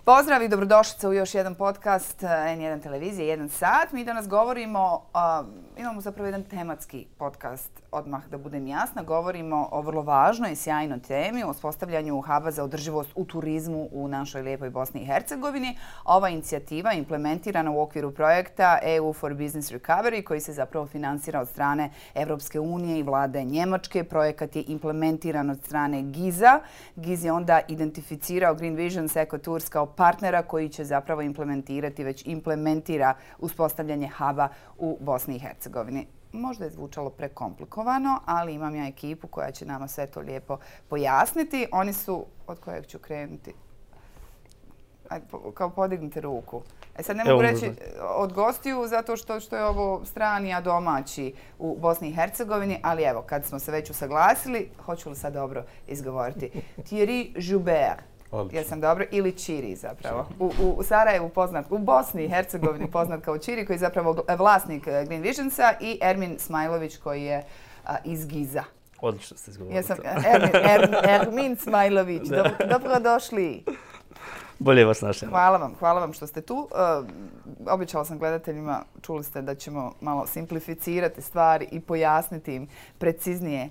Pozdrav i dobrodošlice u još jedan podcast N1 televizije, 1 sat. Mi danas govorimo, imamo zapravo jedan tematski podcast, odmah da budem jasna. Govorimo o vrlo važnoj i sjajnoj temi, o uspostavljanju huba za održivost u turizmu u našoj lijepoj Bosni i Hercegovini. Ova inicijativa je implementirana u okviru projekta EU for Business Recovery koji se zapravo finansira od strane Evropske unije i vlade Njemačke. Projekat je implementiran od strane GIZ-a. GIZ je onda identificirao Green Visions Ecotours kao partnera koji će zapravo već implementira uspostavljanje huba u Bosni i Hercegovini. Možda je zvučalo prekomplikovano, ali imam ja ekipu koja će nama sve to lijepo pojasniti. Oni su, od kojeg ću krenuti? Ajde, kao podignite ruku. Sad ne mogu reći od gostiju zato što je ovo strani, a domaći u Bosni i Hercegovini, ali evo, kad smo se već usaglasili, hoću li sad dobro izgovoriti? Thierry Joubert. Jesam dobro? Ili Čiri zapravo. U Sarajevu poznat, u Bosni i Hercegovini poznat kao Čiri koji je zapravo vlasnik Green Visionsa i Ermin Smajlović koji je iz GIZ-a. Odlično ste izgovorili. Ermin Smajlović. Dobrodošli. Bolje vas našli. Hvala vam što ste tu. Obećala sam gledateljima, čuli ste da ćemo malo simplificirati stvari i pojasniti im preciznije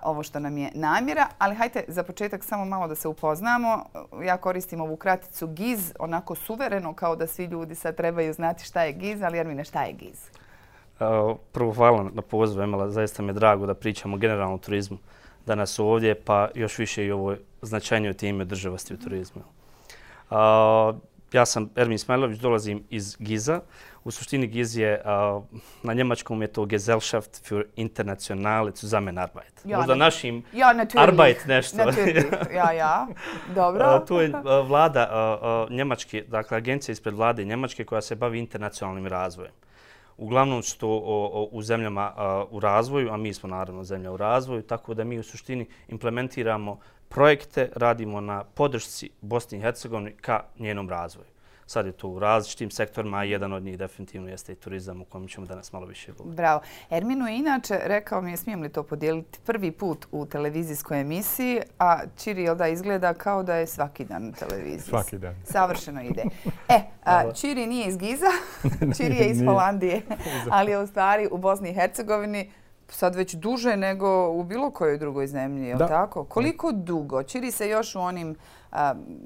ovo što nam je namjera, ali hajte za početak samo malo da se upoznamo. Ja koristim ovu kraticu GIZ, onako suvereno kao da svi ljudi sad trebaju znati šta je GIZ, ali Ermine, šta je GIZ? Prvo hvala na pozivu, Emela, zaista mi je drago da pričamo generalno o turizmu danas ovdje, pa još više i ovoj značajnoj temi održivosti u turizmu. Ja sam Ermin Smajlović, dolazim iz GIZ-a. U suštini GIZ je, na njemačkom je to Gesellschaft für internationale Zusammenarbeit. Možda našim Arbeit nešto. Ja. Dobro. To je vlada Njemačke, dakle agencija ispred vlade Njemačke koja se bavi internacionalnim razvojem. Uglavnom su to u zemljama u razvoju, a mi smo naravno zemlja u razvoju, tako da mi u suštini implementiramo projekte, radimo na podršci Bosni i Hercegovini ka njenom razvoju. Sad je to u različitim sektorima, a jedan od njih definitivno jeste i turizam u kojem ćemo danas malo više govoriti. Bravo. Erminu je inače, rekao mi je, smijem li to podijeliti, prvi put u televizijskoj emisiji, a Čiri da izgleda kao da je svaki dan u televiziji. Svaki dan. Savršeno ide. Čiri nije iz GIZ-a, Čiri je iz Holandije, ali je u stvari u Bosni i Hercegovini sad već duže nego u bilo kojoj drugoj zemlji, je li tako? Koliko dugo? Čiri se još u onim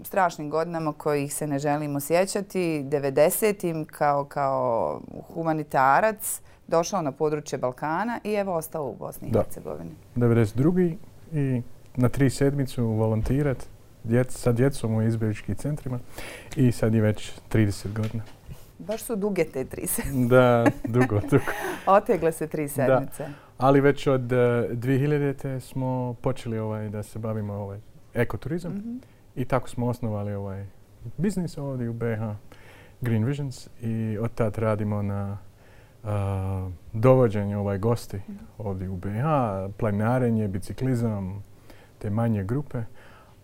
strašnim godinama kojih se ne želimo sjećati, 90-im kao humanitarac došao na područje Balkana i evo ostao u Bosni i Hercegovini. 92. i na 3 sedmicu volontirat sa djecom u izbjegličkim centrima i sad je već 30 godina. Baš su duge te 3 sedmice. Da, dugo. Otegle se 3 sedmice. Da. Ali već od 2000. smo počeli da se bavimo ekoturizam i tako smo osnovali biznis ovdje u BiH, Green Visions, i od tad radimo na dovođenju gosti ovdje u BiH, planinarenje, biciklizam, te manje grupe.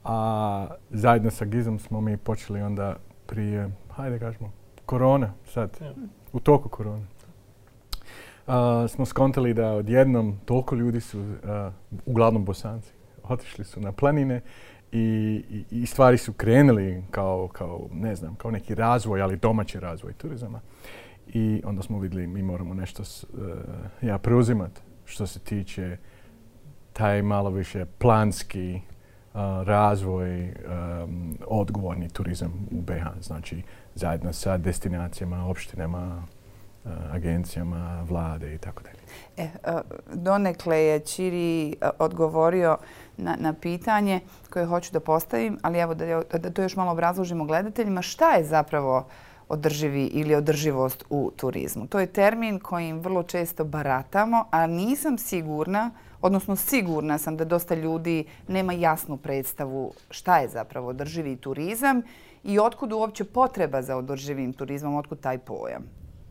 A zajedno sa GIZ-om smo mi počeli onda prije, hajde kažemo, korona sad, u toku korone. Smo skontali da odjednom toliko ljudi su, uglavnom Bosanci, otišli su na planine i stvari su krenuli kao neki razvoj, ali domaći razvoj turizama. I onda smo vidjeli mi moramo nešto preuzimati što se tiče taj malo više planski razvoj, odgovorni turizam u BiH. Znači zajedno sa destinacijama, opštinama, agencijama, vlade i tako dalje. Donekle je Čiri odgovorio na pitanje koje hoću da postavim, ali evo da to još malo obrazložimo gledateljima. Šta je zapravo održivi ili održivost u turizmu? To je termin kojim vrlo često baratamo, a nisam sigurna, odnosno sigurna sam da dosta ljudi nema jasnu predstavu šta je zapravo održivi turizam i otkud uopće potreba za održivim turizmom, otkud taj pojam.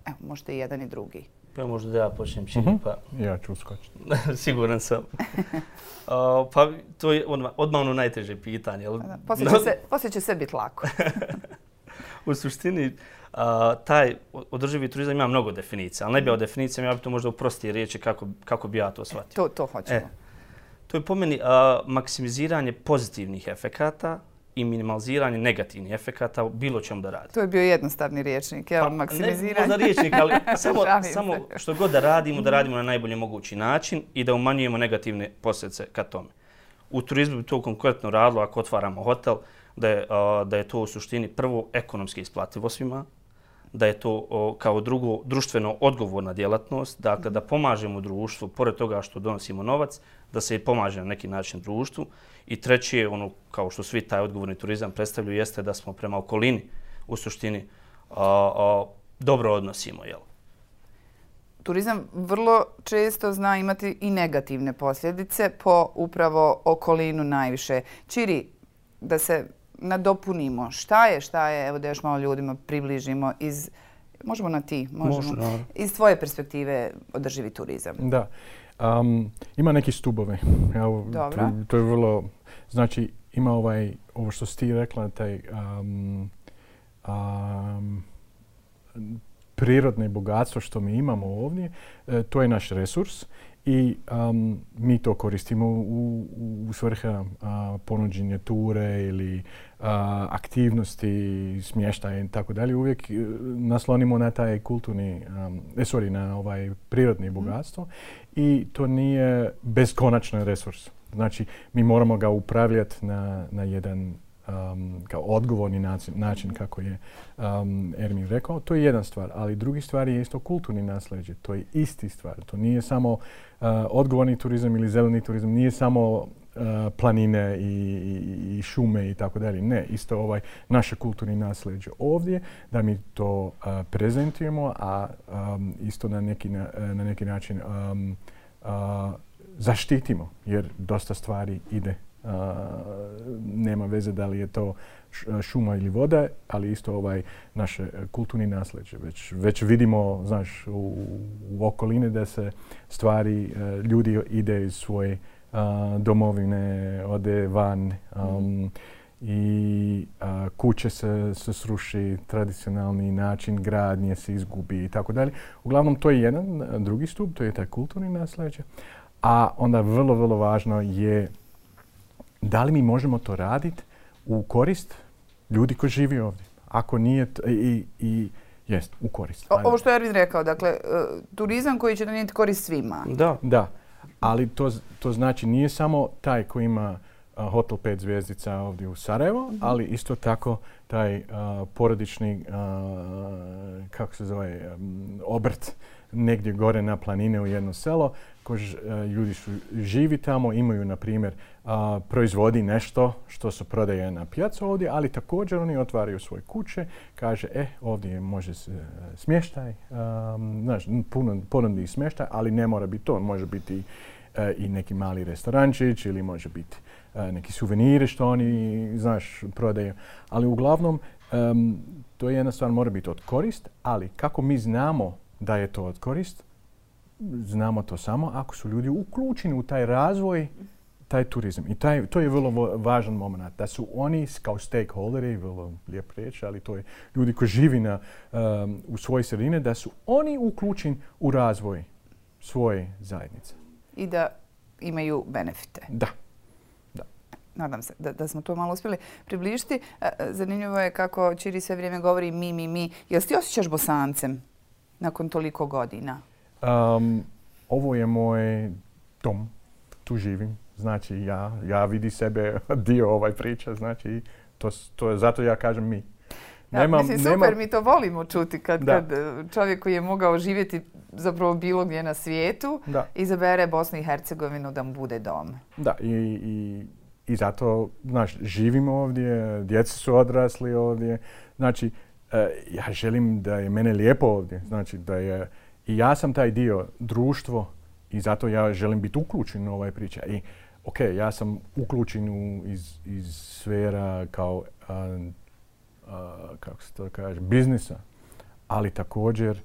Evo, možete i jedan i drugi. Pa možda da ja počnem Čiri, pa... Ja ću uskočiti. Siguran sam. Pa to je odmah ono najteže pitanje. Poslije će sve biti lako. U suštini, taj održivi turizam ima mnogo definicija, ali ne bi o definicijama, ja bi to možda u prostije riječi kako bi ja to shvatio. To hoćemo. To je po meni maksimiziranje pozitivnih efekata i minimaliziranje negativnih efekata u bilo čemu da radi. To je bio jednostavni rječnik, jel? Maksimiziranje. Ne možda rječnik, ali samo što god da radimo na najbolji mogući način i da umanjujemo negativne posljedice ka tome. U turizmu bi to konkretno radilo ako otvaramo hotel, da je to u suštini prvo ekonomski isplativo svima, da je to kao drugo društveno odgovorna djelatnost, dakle da pomažemo društvu, pored toga što donosimo novac, da se i pomaže na neki način društvu. I treće, ono kao što svi taj odgovorni turizam predstavljaju, jeste da smo prema okolini u suštini dobro odnosimo. Jel? Turizam vrlo često zna imati i negativne posljedice po upravo okolinu najviše. Čiri, da se nadopunimo. Šta je, evo da još malo ljudima približimo možemo na ti, možemo. Iz tvoje perspektive održivi turizam. Da. Ima neki stubove. Dobro. To je vrlo, znači ima ovo što si ti rekla, taj prirodne bogatstvo što mi imamo ovdje, to je naš resurs. I mi to koristimo u svrhe ponuđenja ture ili aktivnosti, smještaja i tako dalje. Uvijek naslonimo na taj na ovaj prirodni bogatstvo i to nije beskonačan resurs. Znači, mi moramo ga upravljati na jedan kao odgovorni način kako je Ermin rekao. To je jedna stvar, ali drugi stvar je isto kulturni nasljeđe. To je isti stvar. To nije samo odgovorni turizam ili zeleni turizam, nije samo planine i šume i tako dalje. Ne, isto naše kulturni nasljeđe ovdje, da mi to prezentujemo, a isto na neki način zaštitimo, jer dosta stvari ide. Nema veze da li je to šuma ili voda, ali isto naše kulturni nasljeđe. Već vidimo, znaš, u okoline da se stvari, ljudi ide iz svoje domovine, ode van i kuće se sruši, tradicionalni način gradnje se izgubi i tako dalje. Uglavnom, to je jedan drugi stup, to je taj kulturni nasljeđe. A onda vrlo, vrlo važno je da li mi možemo to raditi u korist ljudi koji živi ovdje. Ako nije, jest, u korist. Ovo što je Ervin rekao, dakle, turizam koji će donijeti korist svima. Da, ali to znači nije samo taj koji ima hotel 5 zvjezdica ovdje u Sarajevo, ali isto tako taj porodični, kako se zove, obrt negdje gore na planine u jedno selo. Ljudi su živi tamo, imaju, na primjer, proizvodi nešto što se prodaje na pijacu ovdje, ali također oni otvaraju svoje kuće, kaže, ovdje može se smještaj, ponudi smještaj, ali ne mora biti to. Može biti i neki mali restorančić ili može biti neki suveniri što oni, znaš, prodaju. Ali uglavnom, to je jedna stvar, mora biti od korist, ali kako mi znamo da je to od korist, znamo to samo ako su ljudi uključeni u taj razvoj, taj turizam. I to je vrlo važan moment. Da su oni kao stakeholderi, vrlo lijep riječ, ali to je ljudi koji živi u svojoj sredini, da su oni uključeni u razvoj svoje zajednice. I da imaju benefite. Da. Nadam se da smo to malo uspjeli približiti. Zanimljivo je kako Čiri sve vrijeme govori mi. Jel ti osjećaš Bosancem nakon toliko godina? Ovo je moj dom. Tu živim. Znači, ja vidim sebe dio priča. Znači, to je zato ja kažem mi. Super, mi to volimo čuti kad čovjek koji je mogao živjeti zapravo bilo gdje na svijetu izabere Bosnu i Hercegovinu da mu bude dom. Da, i zato, znaš, živimo ovdje, djeca su odrasli ovdje. Znači, ja želim da je mene lijepo ovdje. Znači, da je i ja sam taj dio društvo i zato ja želim biti uključen u ovaj priča. I ja sam uključen iz sfera kao kako se to kaže, biznisa, ali također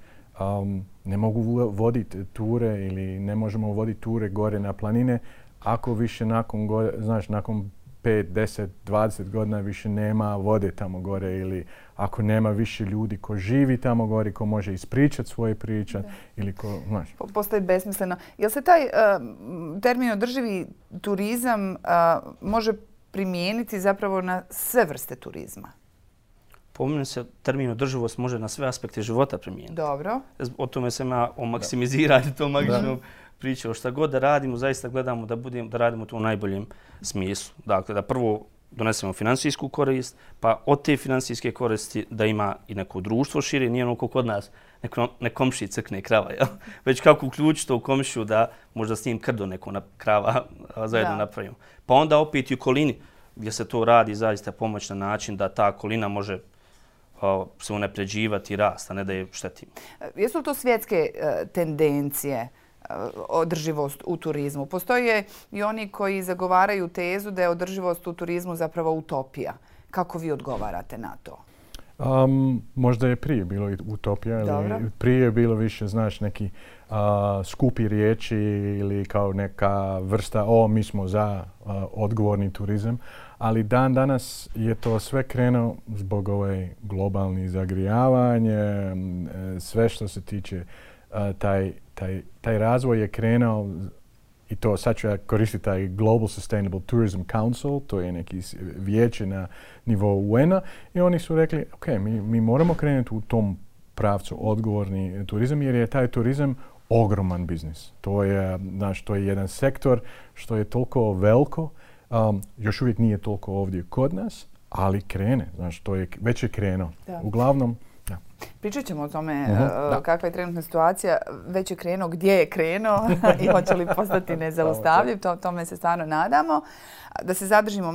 ne mogu voditi ture ili ne možemo voditi ture gore na planine ako više nakon 5, 10, 20 godina više nema vode tamo gore ili ako nema više ljudi ko živi tamo gore, ko može ispričati svoje priče ili ko, znaš. Postoji besmisleno. Jel se taj termin održivi turizam može primijeniti zapravo na sve vrste turizma? Po meni se termin održivost može na sve aspekte života primijeniti. Dobro. O tome sam ja o maksimiziranju tom magičnom pričao. Šta god da radimo, zaista gledamo da radimo to u najboljem smislu. Dakle, da prvo donesemo finansijsku korist, pa od te finansijske koristi da ima i neko društvo šire, nije ono kod nas ne komšiji crkne krava, jel? Već kako uključiti to u komšiju da možda s njim krdo neko krava zajedno napravimo. Pa onda opet i u okolini gdje se to radi zaista pomoć na način da ta okolina može se unapređivati i rast, a ne da je štetimo. Jesu li to svjetske tendencije, održivost u turizmu? Postoje i oni koji zagovaraju tezu da je održivost u turizmu zapravo utopija. Kako vi odgovarate na to? Možda je prije bilo utopija, ili prije je bilo više, znaš, neki skupi riječi ili kao neka vrsta, mi smo za odgovorni turizam, ali dan danas je to sve krenuo zbog globalni zagrijavanje, sve što se tiče taj razvoj je krenuo i to sad ću ja koristiti taj Global Sustainable Tourism Council, to je neki vijeće na nivou UN-a i oni su rekli, ok, mi moramo krenuti u tom pravcu odgovorni turizam jer je taj turizam ogroman biznis. To je jedan sektor što je toliko veliko, još uvijek nije toliko ovdje kod nas, ali krene, već je krenuo. Uglavnom, pričat ćemo o tome kakva je trenutna situacija, već je krenuo, gdje je krenuo i hoće li postati nezaustavljiv, tome se stvarno nadamo. Da se zadržimo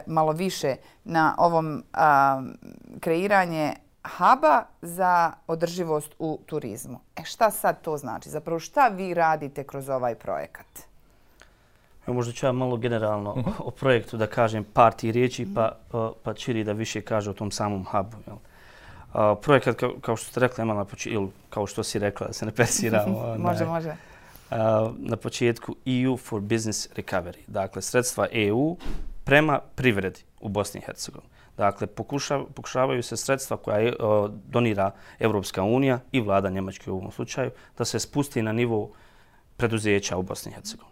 malo više na ovom kreiranje huba za održivost u turizmu. Šta sad to znači? Zapravo šta vi radite kroz ovaj projekat? Možda ću ja malo generalno o projektu da kažem par tih riječi, pa Čiri da više kaže o tom samom hubu. Projekat, kao što ste rekla, ili kao što si rekla, da se ne presiramo. Može. Na početku EU for Business Recovery. Dakle, sredstva EU prema privredi u Bosni i Hercegovini. Dakle, pokušavaju se sredstva koja donira Evropska unija i vlada Njemačke u ovom slučaju da se spusti na nivo preduzeća u Bosni i Hercegovini.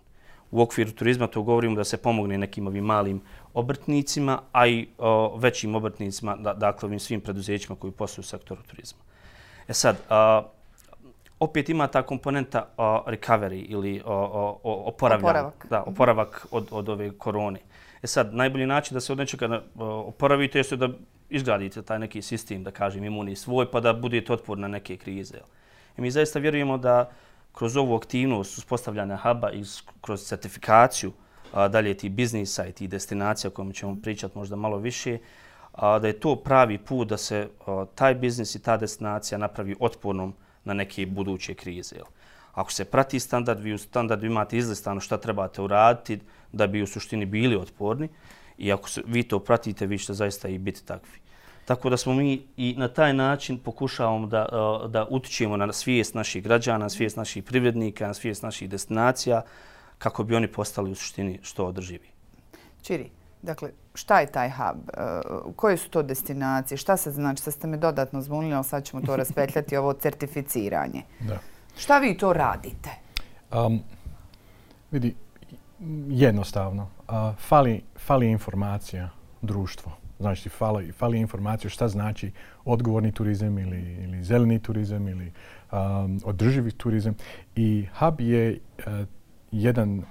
U okviru turizma to govorimo da se pomogne nekim ovim malim obrtnicima, a i većim obrtnicima, dakle ovim svim preduzećima koji posluju u sektoru turizma. Sad, opet ima ta komponenta recovery ili oporavak od ove korone. Sad, najbolji način da se od nečega oporavite je da izgradite taj neki sistem, da kažem, imunni svoj, pa da budete otporni na neke krize. I mi zaista vjerujemo da kroz ovu aktivnost uspostavljanja huba i kroz certifikaciju dalje tih biznisa i tih destinacija o kojima ćemo pričati možda malo više, da je to pravi put da se taj biznis i ta destinacija napravi otpornom na neke buduće krize. Ako se prati standard, vi u standardu imate izlistano šta trebate uraditi da bi u suštini bili otporni i ako vi to pratite, vi ćete zaista i biti takvi. Tako da smo mi i na taj način pokušavamo da utičemo na svijest naših građana, na svijest naših privrednika, na svijest naših destinacija kako bi oni postali u suštini što održivi. Čiri, dakle, šta je taj hub? Koje su to destinacije? Šta sad znači? Sad ste me dodatno zbunili, ali sad ćemo to raspetljati, ovo certificiranje. Da. Šta vi to radite? Vidi, jednostavno. Fali informacija društvo. Znači, fali informacija šta znači odgovorni turizam ili zeleni turizam ili održivi turizam. I hub je jedan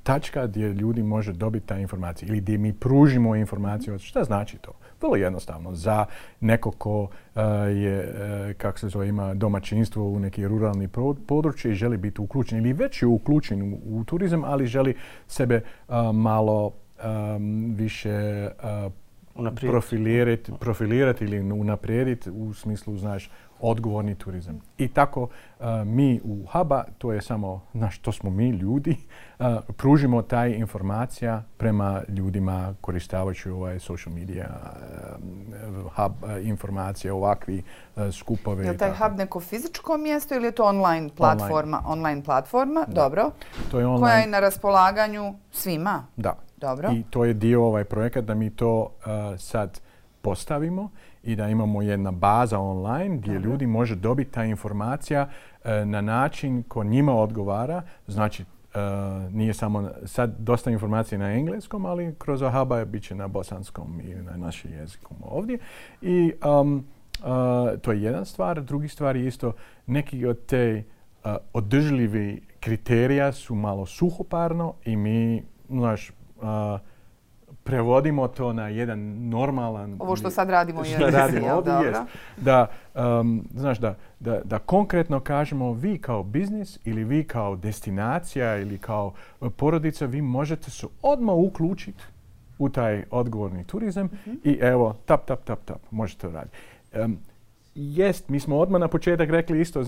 tačka gdje ljudi može dobiti ta informacija ili gdje mi pružimo informaciju. Šta znači to? Vrlo jednostavno. Za neko ko ima domaćinstvo u neki ruralni područje i želi biti uključen ili već je uključen u turizam, ali želi sebe malo više profilirati ili unaprijediti u smislu, znaš, odgovorni turizam. I tako mi u huba, to je samo, to smo mi ljudi, pružimo taj informacija prema ljudima koristavajući social media, hub informacije, ovakvi skupove. Je li taj hub neko fizičko mjesto ili je to online platforma? Online platforma, dobro. To je online. Koja je na raspolaganju svima? Da. Dobro. I to je dio projekat da mi to sad postavimo i da imamo jedna baza online gdje ljudi može dobiti ta informacija na način ko njima odgovara. Znači, nije samo sad dosta informacije na engleskom, ali kroz Hub bit će na bosanskom i na našem jeziku ovdje. I to je jedna stvar. Drugi stvar je isto neki od te održljivi kriterija su malo suhoparno i mi, prevodimo to na jedan normalan... Ovo što sad radimo je da konkretno kažemo vi kao biznis ili vi kao destinacija ili kao porodica, vi možete se odmah uključiti u taj odgovorni turizam i evo, tap, možete to raditi. Mi smo odmah na početak rekli isto,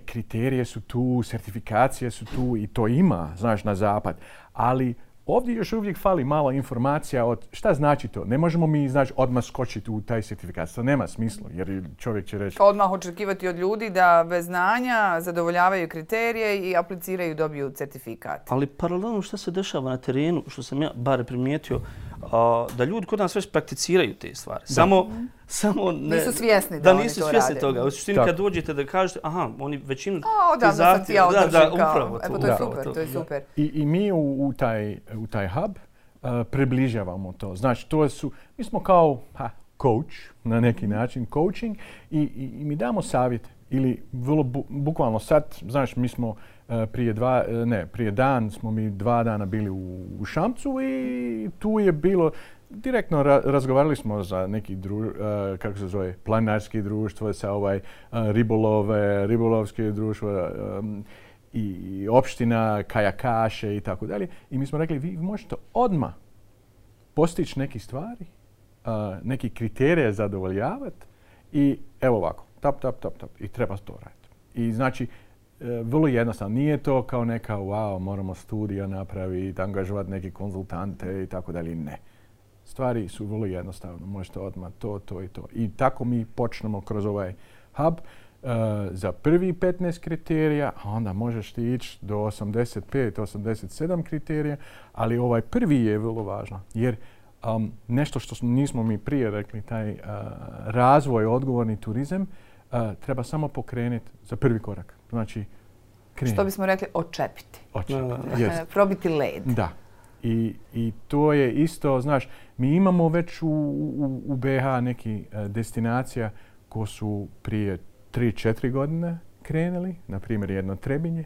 kriterije su tu, certifikacije su tu i to ima, na zapad, ali ovdje još uvijek fali malo informacija od šta znači to. Ne možemo mi odmah skočiti u taj certifikat. To nema smisla jer čovjek će reći... Odmah očekivati od ljudi da bez znanja zadovoljavaju kriterije i apliciraju i dobiju certifikat. Ali paralelno šta se dešava na terenu, što sam ja bar primijetio, da ljudi kod nas već prakticiraju te stvari. Samo nisu svjesni da nisu svjesni toga. U suštini kad dođete da kažete, oni većinu odavno sam ti ja održim upravo to. To je super. I mi u taj hub približavamo to. Znači, mi smo kao coach, na neki način, coaching i mi damo savjete. Ili vrlo bukvalno sad, mi smo prije dan smo mi 2 dana bili u Šamcu i tu je bilo, direktno razgovarali smo za neki kako se zove, planinarski društvo, sa ribolovske društvo i opština, kajakaše i tako dalje. I mi smo rekli, vi možete odmah postići neke stvari, neki kriterije zadovoljavati i evo ovako, tap. I treba to raditi. I znači, vrlo jednostavno. Nije to kao neka, moramo studija napraviti, angažovati neke konzultante i tako dalje. Ne. Stvari su vrlo jednostavne. Možete odmah to i to. I tako mi počnemo kroz ovaj hub za prvi 15 kriterija, a onda možeš ti ići do 85, 87 kriterija, ali ovaj prvi je vrlo važno. Jer nešto što nismo mi prije rekli, taj razvoj, odgovorni turizam, treba samo pokrenuti za prvi korak. Znači, što bismo rekli, očepiti. Probiti led. Da. I to je isto, mi imamo već u BiH neki destinacija ko su prije 3-4 godine krenuli, na primjer jedno Trebinje,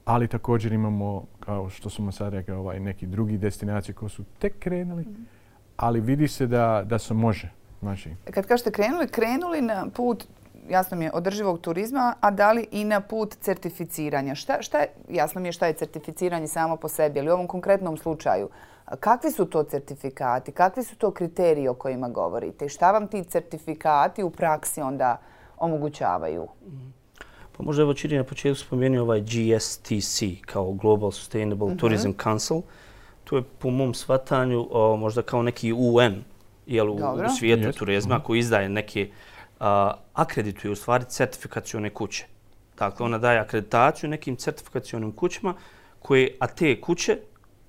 ali također imamo, kao što smo sad rekli, neki drugi destinacije koji su tek krenuli, ali vidi se da se može. Znači, kad kažete krenuli na put, jasno mi je, održivog turizma, a da li i na put certificiranja? Jasno mi je šta je certificiranje samo po sebi, ali u ovom konkretnom slučaju, kakvi su to certifikati, kakvi su to kriteriji o kojima govorite i šta vam ti certifikati u praksi onda omogućavaju? Pa možda evo Čiri na početku spomenuo ovaj GSTC kao Global Sustainable Tourism Council. To je po mom shvatanju možda kao neki UN u svijetu turizma koji izdaje neke akredituje u stvari certifikacione kuće. Dakle, ona daje akreditaciju nekim certifikacionim kućama a te kuće,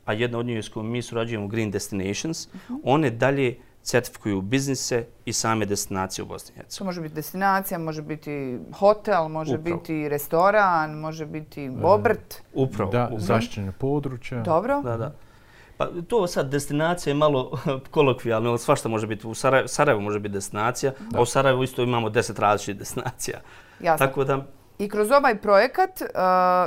a jedna od njih s kojom mi surađujemo Green Destinations, one dalje certifikuju biznise i same destinacije u Bosni i Hercegovini. To može biti destinacija, može biti hotel, može biti restoran, može biti obrt. Upravo. Da, zaštićeno područje. Dobro. Da. Pa to sad destinacija je malo kolokvijalno, svašta može biti. U Sarajevu može biti destinacija, a u Sarajevu isto imamo 10 različitih destinacija. Jasno. Tako da... I kroz ovaj projekat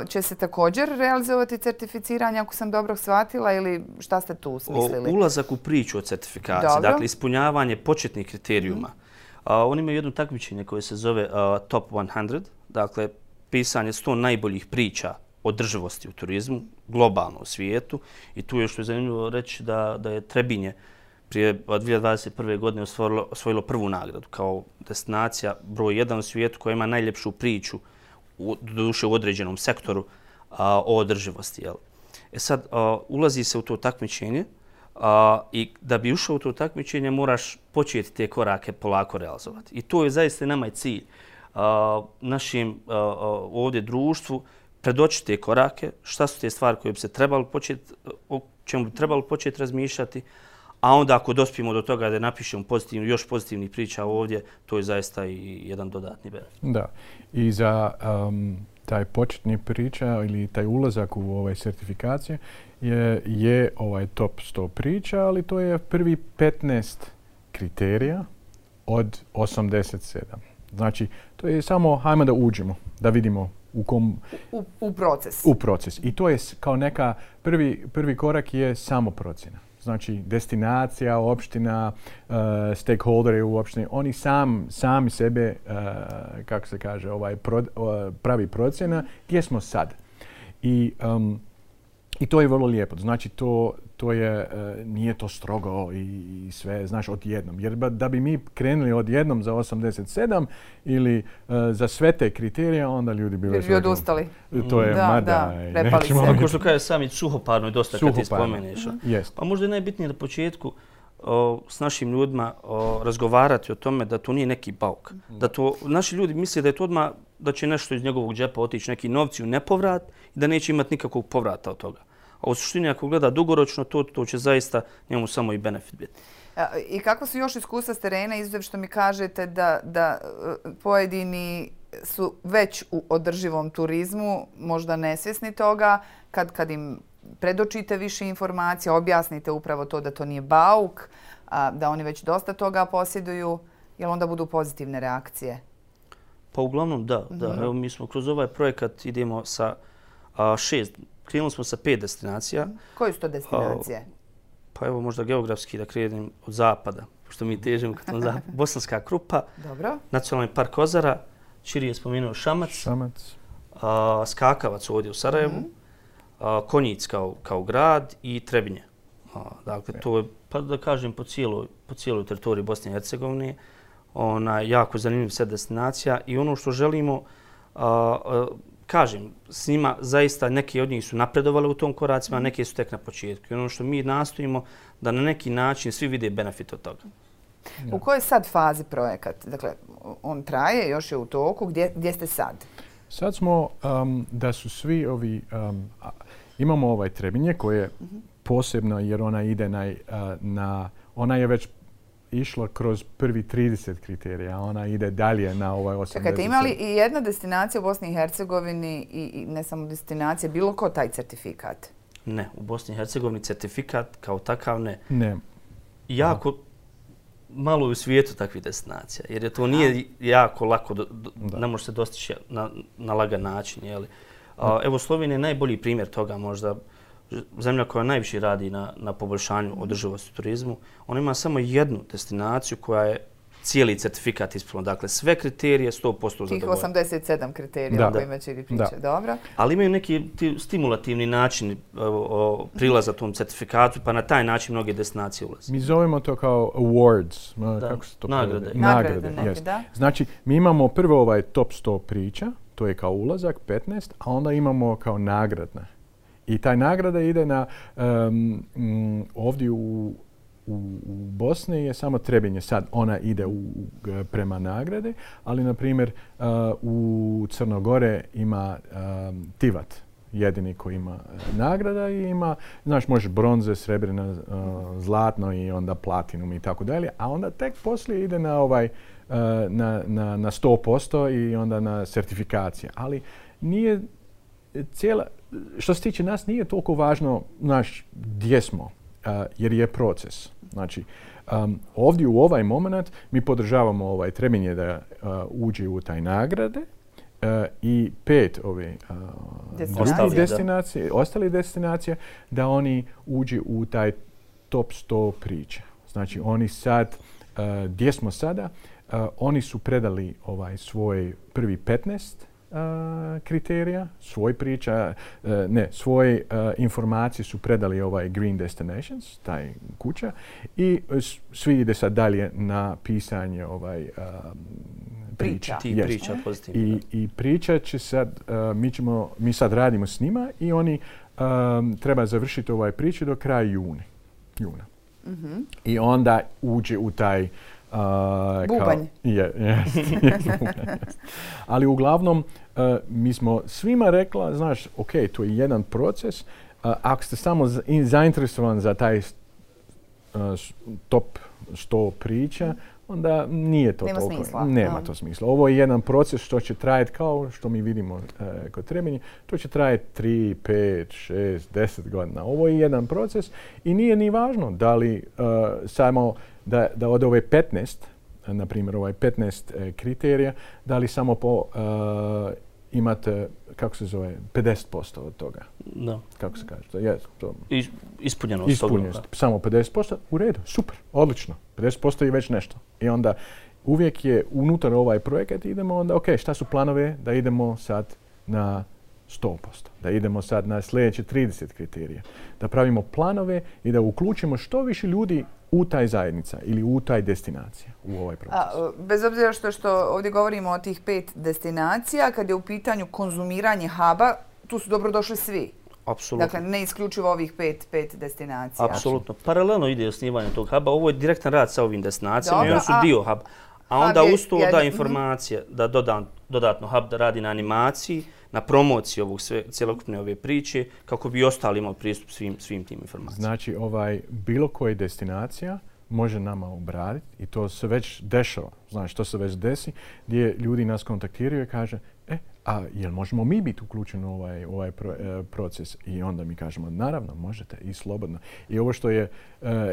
će se također realizovati certificiranje, ako sam dobro shvatila, ili šta ste tu smislili? Ulazak u priču o certifikaciji, dakle ispunjavanje početnih kriterijuma. Oni imaju jedno takmičenje koje se zove Top 100, dakle pisanje 100 najboljih priča održivosti u turizmu, globalno u svijetu. I tu je što je zanimljivo reći da je Trebinje prije 2021. godine osvojilo prvu nagradu kao destinacija broj 1 u svijetu koja ima najljepšu priču doduše u određenom sektoru o održivosti. Sad, ulazi se u to takmičenje i da bi ušao u to takmičenje moraš početi te korake polako realizovati. I to je zaista nama i cilj. Našim ovdje društvu predočiti te korake, šta su te stvari koje bi se trebalo početi, o čemu bi trebalo početi razmišljati, a onda ako dospijemo do toga da napišemo još pozitivnih priča ovdje, to je zaista i jedan dodatni benefit. Da. I za taj početni priča ili taj ulazak u ove certifikacije je ovaj top 100 priča, ali to je prvi 15 kriterija od 87. Znači, to je samo hajmo da uđemo, da vidimo u proces. U proces. I to je kao neka, prvi korak je samo procjena. Znači, destinacija, opština, stakeholderi u opštini, oni sami sebe, kako se kaže, pravi procjena gdje smo sad. I to je vrlo lijepo. Znači, to je, nije to strogo i sve, znaš, odjednom. Jer da bi mi krenuli odjednom za 87 ili za sve te kriterije, onda ljudi bi već odustali. To je prepali se. Ako što kaže sami, suhoparno je dosta kad ti spomeneš. Pa možda je najbitnije na početku s našim ljudima razgovarati o tome da to nije neki bauk. Da to, naši ljudi misle da je to odmah, da će nešto iz njegovog džepa otići, neki novci u nepovrat i da neće imati nikakvog povrata od toga. A u suštini ako gleda dugoročno, to će zaista njemu samo i benefit biti. I kako su još iskustva s terena, izuzev što mi kažete da pojedini su već u održivom turizmu, možda nesvjesni toga, kad im predočite više informacija, objasnite upravo to da to nije bauk, da oni već dosta toga posjeduju, jel onda budu pozitivne reakcije? Pa uglavnom da. Evo, mi smo kroz ovaj projekat idemo sa 6, krenuli smo sa 5 destinacija. Koje su to destinacije? Pa evo možda geografski da krenem od zapada, pošto mi težimo k tom zapadu. Bosanska Krupa, dobro. Nacionalni park Kozara, Čiri je spomenuo Šamac. Skakavac ovdje u Sarajevu, Konjic kao grad i Trebinje. Dakle, to je, pa da kažem, po cijeloj teritoriji Bosne i Hercegovine. Jako zanimljiv set destinacija i ono što želimo, kažem, s njima zaista neki od njih su napredovali u tom koracima, a neki su tek na početku. I ono što mi nastojimo da na neki način svi vide benefit od toga. U kojoj sad fazi projekat? Dakle, on traje, još je u toku. Gdje ste sad? Sad smo da su svi ovi... Imamo ovaj Trebinje koje je posebno jer ona ide ona je već išla kroz prvi 30 kriterija, ona ide dalje na ovaj 80. Čekajte, ima li i jedna destinacija u Bosni i Hercegovini i ne samo destinacija, bilo ko taj certifikat? Ne, u Bosni i Hercegovini certifikat kao takav ne. Ne. Jako malo u svijetu takvih destinacija, jer to nije jako lako, ne može se dostići na lagan način. Jeli? Evo, Slovenija je najbolji primjer toga možda. Zemlja koja najviše radi na poboljšanju održivosti turizmu. Ona ima samo jednu destinaciju koja je cijeli certifikat ispunila. Dakle, sve kriterije 100% zadovoljene. Tih 87 kriterija o kojima će pričati. Dobro. Ali imaju neki stimulativni način prilaza tom certifikatu, pa na taj način mnoge destinacije ulaze. Mi zovemo to kao awards. Kako se to nagrade neke, da. Znači, mi imamo prvo ovaj top 100 priča, to je kao ulazak, 15, a onda imamo kao nagradne. I taj nagrada ide na ovdje u Bosni je samo Trebinje. Sad ona ide prema nagrade, ali na primjer u Crnogore ima Tivat, jedini koji ima nagrada i ima, znaš, može bronze, srebrna, zlatno i onda platinum i tako dalje, a onda tek poslije ide na na 100% i onda na certifikacije. Ali nije što se tiče nas, nije toliko važno gdje smo, jer je proces. Znači, ovdje u ovaj moment mi podržavamo Trebinje da uđe u taj nagrade i 5 ostalih destinacija da oni uđe u taj top 100 priča. Znači, oni sad, gdje smo sada, oni su predali svoj prvi 15 kriterija, svoje informacije su predali Green Destinations, taj kuća, i svi ide sad dalje na pisanje priča. Priča pozitivno. I priča će sad, mi sad radimo s njima i oni treba završiti priču do kraja juna. I onda uđe u taj bubanj. Ali uglavnom, mi smo svima rekla, znaš, ok, to je jedan proces. Ako ste samo zainteresovani za taj top 100 priča, onda nije to nema toliko. Smisla. Nema to smisla. Ovo je jedan proces što će trajati kao što mi vidimo kod Trebinje. To će trajati 3, 5, 6, 10 godina. Ovo je jedan proces i nije ni važno da li samo da od ove 15, na primjer ovaj 15 kriterija, da li samo imate, kako se zove, 50% od toga. Da. Kako se kaže? Ispunjenost. Ispunjenost. Samo 50%. U redu. Super. Odlično. 50% je već nešto. I onda uvijek je unutar ovaj projekat idemo onda, ok, šta su planove da idemo sad na 100%. Da idemo sad na sljedeće 30 kriterija. Da pravimo planove i da uključimo što više ljudi u taj zajednica ili u taj destinacija, u ovaj proces. Bez obzira što ovdje govorimo o tih 5 destinacija, kad je u pitanju konzumiranje huba, tu su dobrodošli svi. Apsolutno. Dakle, ne isključivo ovih 5 destinacija. Apsolutno. Paralelno ide osnivanje tog huba. Ovo je direktan rad sa ovim destinacijama i oni su dio huba. A onda uz to da informacije, da dodatno hub da radi na animaciji, na promociji ovog cjelokupne ove priče, kako bi ostali imali pristup svim tim informacijama. Znači, bilo koja destinacija može nama obraditi i to se već dešava. Znači, to se već desi gdje ljudi nas kontaktiraju i kaže a jel možemo mi biti uključeni u ovaj proces? I onda mi kažemo, naravno, možete i slobodno. I ovo što je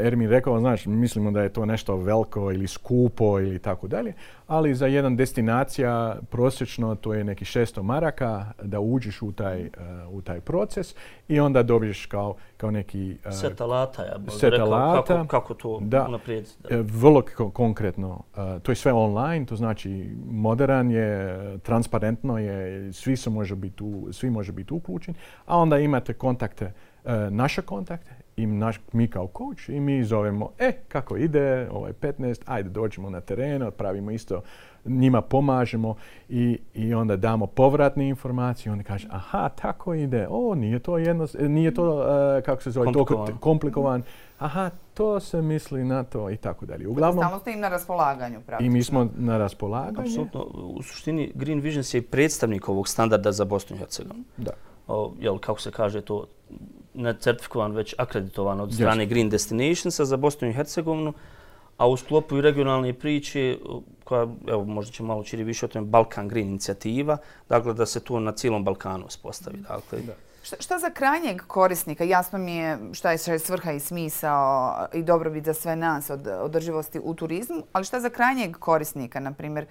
Ermin rekao, znači, mislimo da je to nešto veliko ili skupo ili tako dalje, ali za jedan destinacija prosječno to je neki 600 maraka da uđeš u taj proces i onda dobiješ kao neki set alata, ja bih rekao, kako to unaprijediti. Vrlo konkretno. To je sve online, to znači modern je, transparentno je, svi može biti uključeni, a onda imate kontakte, naše kontakte i mi kao coach i mi zovemo, kako ide, 15, ajde dođemo na teren, pravimo isto, njima pomažemo i onda damo povratne informacije. Onda kaže, aha, tako ide, nije to kako se zove, toliko komplikovan. Aha, to se misli na to i tako dalje. Uglavnom, stalno ste im na raspolaganju, praktično. I mi smo na raspolaganju. Apsolutno. U suštini, Green Visions je i predstavnik ovog standarda za Bosnu i Hercegovinu. Da. Kako se kaže to, certifikovan, već akreditovan od strane Green Destinationsa za Bosnu i Hercegovinu, a u sklopu i regionalne priče, koja, evo, možda će malo čiri više o tome, Balkan Green inicijativa, dakle da se to na cijelom Balkanu uspostavi. Dakle, Šta za krajnjeg korisnika? Jasno mi je šta je svrha i smisao i dobrobit za sve nas od održivosti u turizmu, ali šta za krajnjeg korisnika, na primjer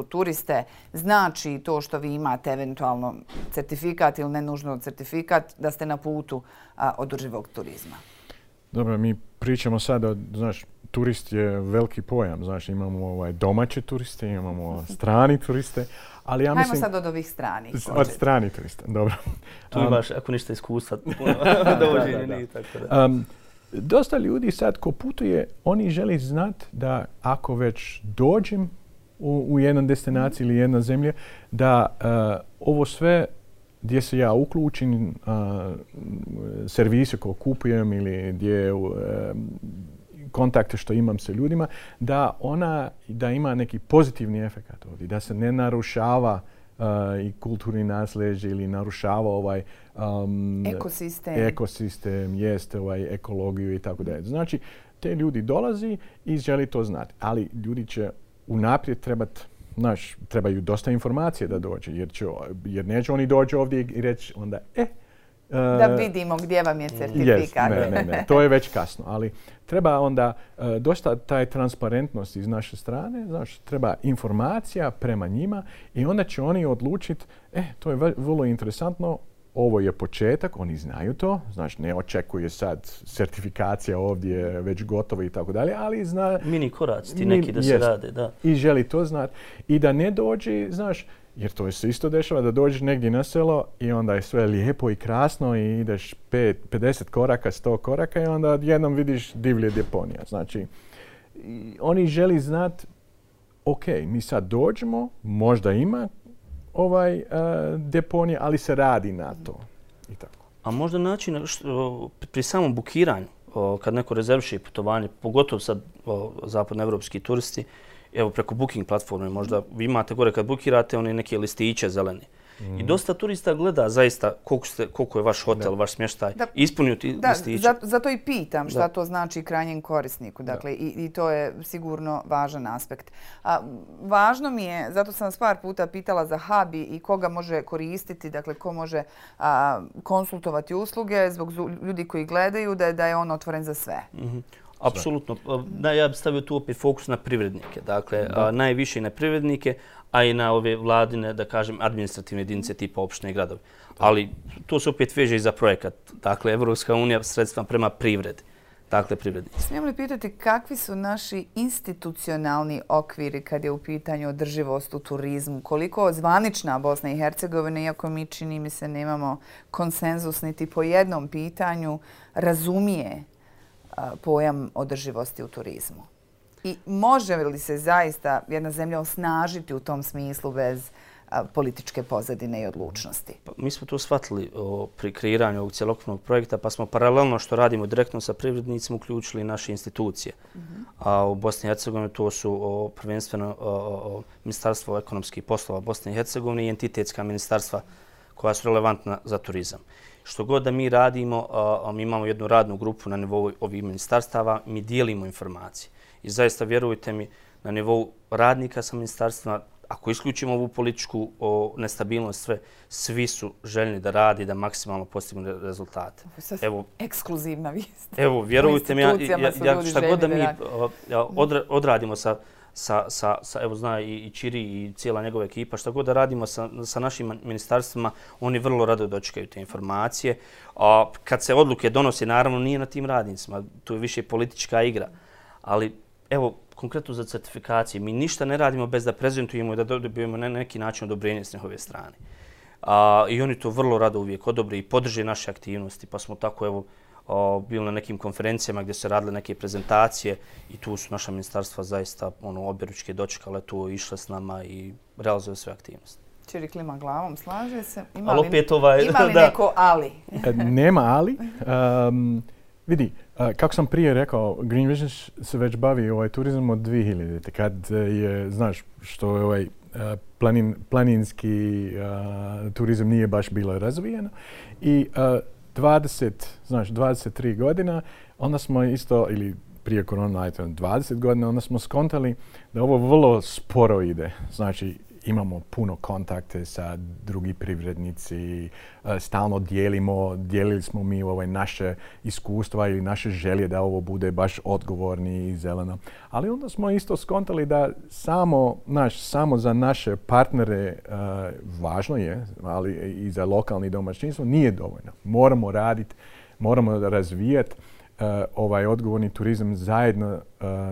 turiste, znači to što vi imate eventualno certifikat ili ne nužno certifikat da ste na putu održivog turizma? Dobro, mi pričamo sada, znaš, turist je veliki pojam, znači imamo domaće turiste, imamo strani turiste, ali ja mislim... Hajmo sad od ovih stranih. Od stranih turista, dobro. Tu imaš, ako ništa iskustva, dovođenje, tako da. Dosta ljudi sad ko putuje, oni žele znati da ako već dođem u jednu destinaciju ili jednu zemlju, da ovo sve gdje se ja uključim, servise koje kupujem ili gdje kontakte što imam sa ljudima, da ima neki pozitivni efekt ovdje, da se ne narušava i kulturni nasljeđe ili narušava ekosistem, ekologiju i tako dalje. Znači, te ljudi dolazi i želi to znati, ali ljudi će unaprijed trebaju dosta informacije da dođe, jer neće oni doći ovdje i reći onda, da vidimo gdje vam je certifikat. Ne, to je već kasno, ali treba onda dosta taj transparentnost iz naše strane, znači treba informacija prema njima i onda će oni odlučiti, to je vrlo interesantno, ovo je početak, oni znaju to, znači ne očekuje sad certifikacija ovdje već gotovo i tako dalje, ali zna... Mini koraci ti neki da se rade, da. I želi to znati i da ne dođe, znaš, jer to se isto dešava da dođeš negdje na selo i onda je sve lijepo i krasno i ideš 50 koraka, 100 koraka i onda jednom vidiš divlje deponija. Znači, oni želi znati, ok, mi sad dođemo, možda ima deponija, ali se radi na to. I tako. A možda način pri samom bukiranju, kad neko rezerviše putovanje, pogotovo sad zapadnoevropski turisti, evo preko booking platforme, možda vi imate gore kad bukirate one neke listiće zelene. I dosta turista gleda zaista koliko je vaš hotel, vaš smještaj, ispunio ti listiće. Zato i pitam šta to znači krajnjem korisniku. Dakle, i to je sigurno važan aspekt. Važno mi je, zato sam vas par puta pitala za hub i koga može koristiti, dakle, ko može konsultovati usluge zbog ljudi koji gledaju, da je on otvoren za sve. Apsolutno. Ja bih stavio tu opet fokus na privrednike. Dakle, najviše na privrednike, a i na ove vladine, da kažem, administrativne jedinice tipa opštine i gradovi. Ali to se opet veže i za projekat. Dakle, Evropska unija sredstva prema privredi. Dakle, privrednici. Smijem li pitati kakvi su naši institucionalni okviri kad je u pitanju održivost u turizmu? Koliko zvanična Bosna i Hercegovina, iako mi čini mi se nemamo konsenzus niti po jednom pitanju, razumije pojam održivosti u turizmu? I može li se zaista jedna zemlja osnažiti u tom smislu bez političke pozadine i odlučnosti? Mi smo to shvatili pri kreiranju ovog cjelokupnog projekta, pa smo paralelno što radimo direktno sa privrednicima uključili naše institucije. A u Bosni i Hercegovini to su prvenstveno Ministarstvo ekonomskih poslova Bosne i Hercegovine i entitetska ministarstva koja su relevantna za turizam. Što god da mi radimo, mi imamo jednu radnu grupu na nivou ovih ministarstava, mi dijelimo informacije. I zaista, vjerujte mi, na nivou radnika sa ministarstvima, ako isključimo ovu političku nestabilnost, svi su željni da radi, da maksimalno postignu rezultate. Evo, ekskluzivna vijest. Evo, vjerujte mi, šta god da mi odradimo evo zna i Čiri i cijela njegova ekipa, šta god da radimo sa našim ministarstvima, oni vrlo rado dočekaju te informacije. Kad se odluke donose, naravno nije na tim radnicima, to je više politička igra. Ali evo, konkretno za certifikacije, mi ništa ne radimo bez da prezentujemo i da dobijemo na neki način odobrenje s njihove strane. I oni to vrlo rado uvijek odobre i podrže naše aktivnosti, pa smo tako evo bili na nekim konferencijama gdje se radile neke prezentacije i tu su naša ministarstva zaista objeručke dočekale tu, išle s nama i realizuje sve aktivnosti. Čiri klima glavom, slaže se. Ima li neko ali? Nema ali. Vidi, kako sam prije rekao, Green Vision se već bavi turizam od 2000. Kad je, znaš, što je planinski turizam nije baš bilo razvijeno. I 23 godina, onda smo isto, ili prije korona, 20 godina, onda smo skontali da ovo vrlo sporo ide. Znači, imamo puno kontakte sa drugi privrednici, stalno dijelili smo mi naše iskustva ili naše želje da ovo bude baš odgovorni i zeleno. Ali onda smo isto skontali da samo za naše partnere važno je, ali i za lokalni domaćinstvo nije dovoljno. Moramo raditi, moramo razvijati ovaj odgovorni turizam zajedno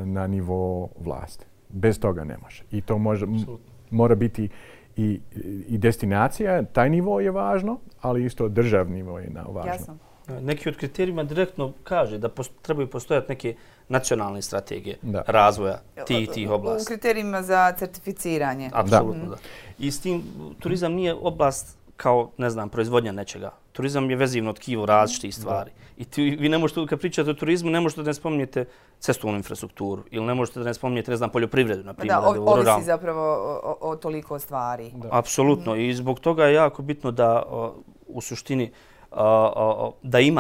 na nivou vlasti. Bez toga ne može. I to mora biti i destinacija, taj nivo je važno, ali isto državni nivo je važno. Jasno. Neki od kriterijima direktno kaže da trebaju postojati neke nacionalne strategije razvoja tih oblasti. U kriterijima za certificiranje. Apsolutno, da. I s tim turizam nije oblast kao, ne znam, proizvodnja nečega. Turizam je vezivno tkivo različitih stvari. I vi ne možete, kad pričate o turizmu, ne možete da ne spominjete cestovnu infrastrukturu ili ne možete da ne spominjete, ne znam, poljoprivredu, na primjer. Da, ovisi zapravo o toliko stvari. Apsolutno. I zbog toga je jako bitno da u suštini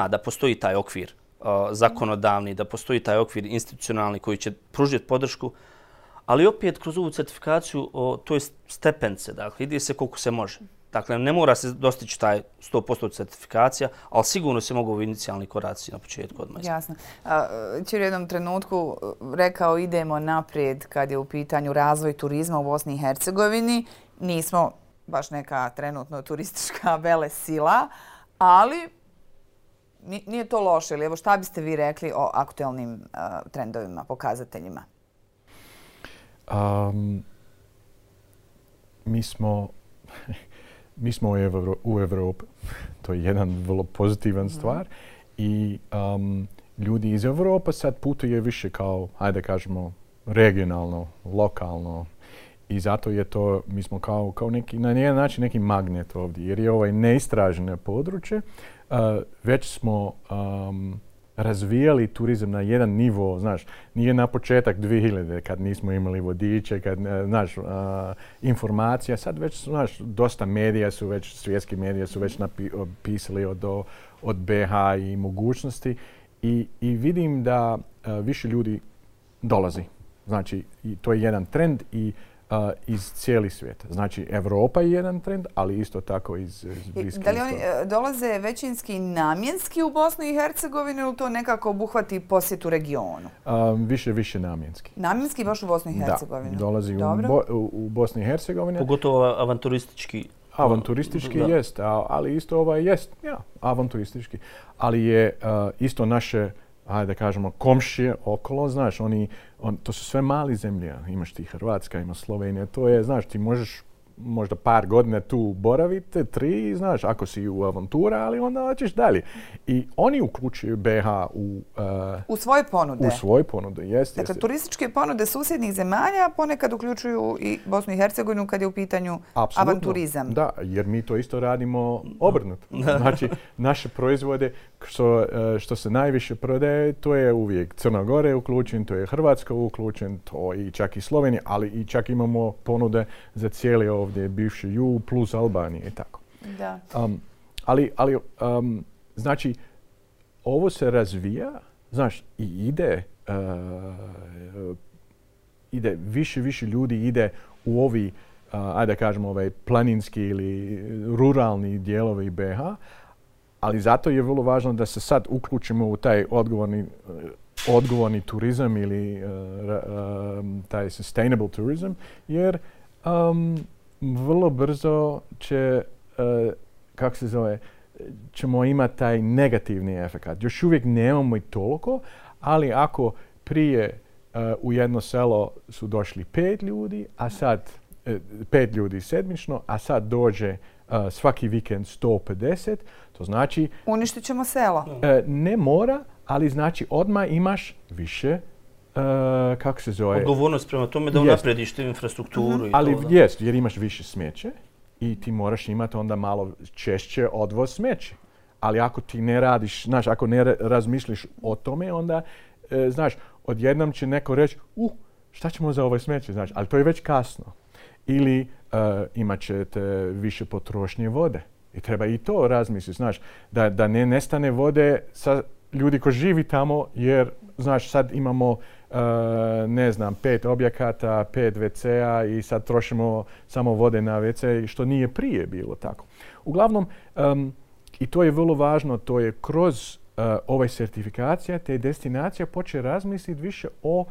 da postoji taj okvir zakonodavni, da postoji taj okvir institucionalni koji će pružiti podršku, ali opet kroz ovu certifikaciju to je stepence, dakle, ide se koliko se može. Dakle, ne mora se dostići taj 100% certifikacija, ali sigurno se mogu inicijalni koraci na početku odmah. Jasno. Čiri u jednom trenutku rekao idemo naprijed kad je u pitanju razvoj turizma u Bosni i Hercegovini. Nismo baš neka trenutno turistička velesila, ali nije to loše. Evo, šta biste vi rekli o aktualnim trendovima, pokazateljima? Mi smo u Evropi. To je jedan vrlo pozitivan stvar. I ljudi iz Evrope sad putuje više kao, ajde kažemo, regionalno, lokalno. I zato je to, mi smo kao neki, na jedan način neki magnet ovdje. Jer je neistraženo područje. Već smo razvijali turizam na jedan nivo, znaš, nije na početak 2000 kad nismo imali vodiče, kad, znaš, informacija, sad već, znaš, dosta medija su već, svjetski medija su već pisali od BH i mogućnosti i vidim da više ljudi dolazi. Znači, to je jedan trend i iz cijeli svijeta. Znači, Europa je jedan trend, ali isto tako iz Bliskog. Da li oni dolaze većinski namjenski u Bosnu i Hercegovinu ili to nekako obuhvati posjetu regionu? Više namjenski. Namjenski baš u Bosnu i Hercegovinu? Da, dolazi u Bosni i Hercegovini. Pogotovo avanturistički. Avanturistički jest, ali isto jest, avanturistički. Ali je isto naše, hajde da kažemo, komšije okolo, znaš, to su sve mali zemlje. Imaš ti Hrvatska, imaš Slovenija, to je, znaš, ti možeš možda par godina tu boraviti, 3, znaš, ako si u avantura, ali onda hoćeš dalje. I oni uključuju BH u svoje ponude. U svoje ponude, jest. Dakle, turističke ponude susjednih zemalja ponekad uključuju i Bosnu i Hercegovinu kad je u pitanju avanturizam. Da, jer mi to isto radimo obrnuto. Znači, naše proizvode što se najviše prodaje, to je uvijek Crna Gora je uključen, to je Hrvatska uključen, to i čak i Slovenija, ali i čak imamo ponude za cijeli ovdje bivši jug plus Albanije i tako. Da. Znači, ovo se razvija, znaš, i ide više ljudi ide u ovi, ajde da kažemo, ovaj planinski ili ruralni dijelovi BH, ali zato je vrlo važno da se sad uključimo u taj odgovorni turizam ili taj sustainable tourism, jer vrlo brzo ćemo imati taj negativni efekt. Još uvijek nemamo i toliko, ali ako prije u jedno selo su došli 5 ljudi, a sad 5 ljudi sedmično, a sad dođe svaki vikend 150, to znači... Uništit ćemo selo. Ne mora, ali znači odmah imaš više, kako se zove... Odgovornost prema tome da unaprediš tu infrastrukturu. Ali jest, jer imaš više smeće i ti moraš imati onda malo češće odvoz smeće. Ali ako ti ne radiš, znaš, ako ne razmišljiš o tome, onda, znaš, odjednom će neko reći, šta ćemo za ovo smeće, znaš, ali to je već kasno. Ili imat ćete više potrošnje vode. I treba i to razmisliti, znaš, da ne nestane vode sa ljudi koji živi tamo, jer, znaš, sad imamo, 5 objekata, 5 WC-a i sad trošimo samo vode na WC, što nije prije bilo tako. Uglavnom, i to je vrlo važno, to je kroz ove certifikacije, te destinacija počne razmisliti više o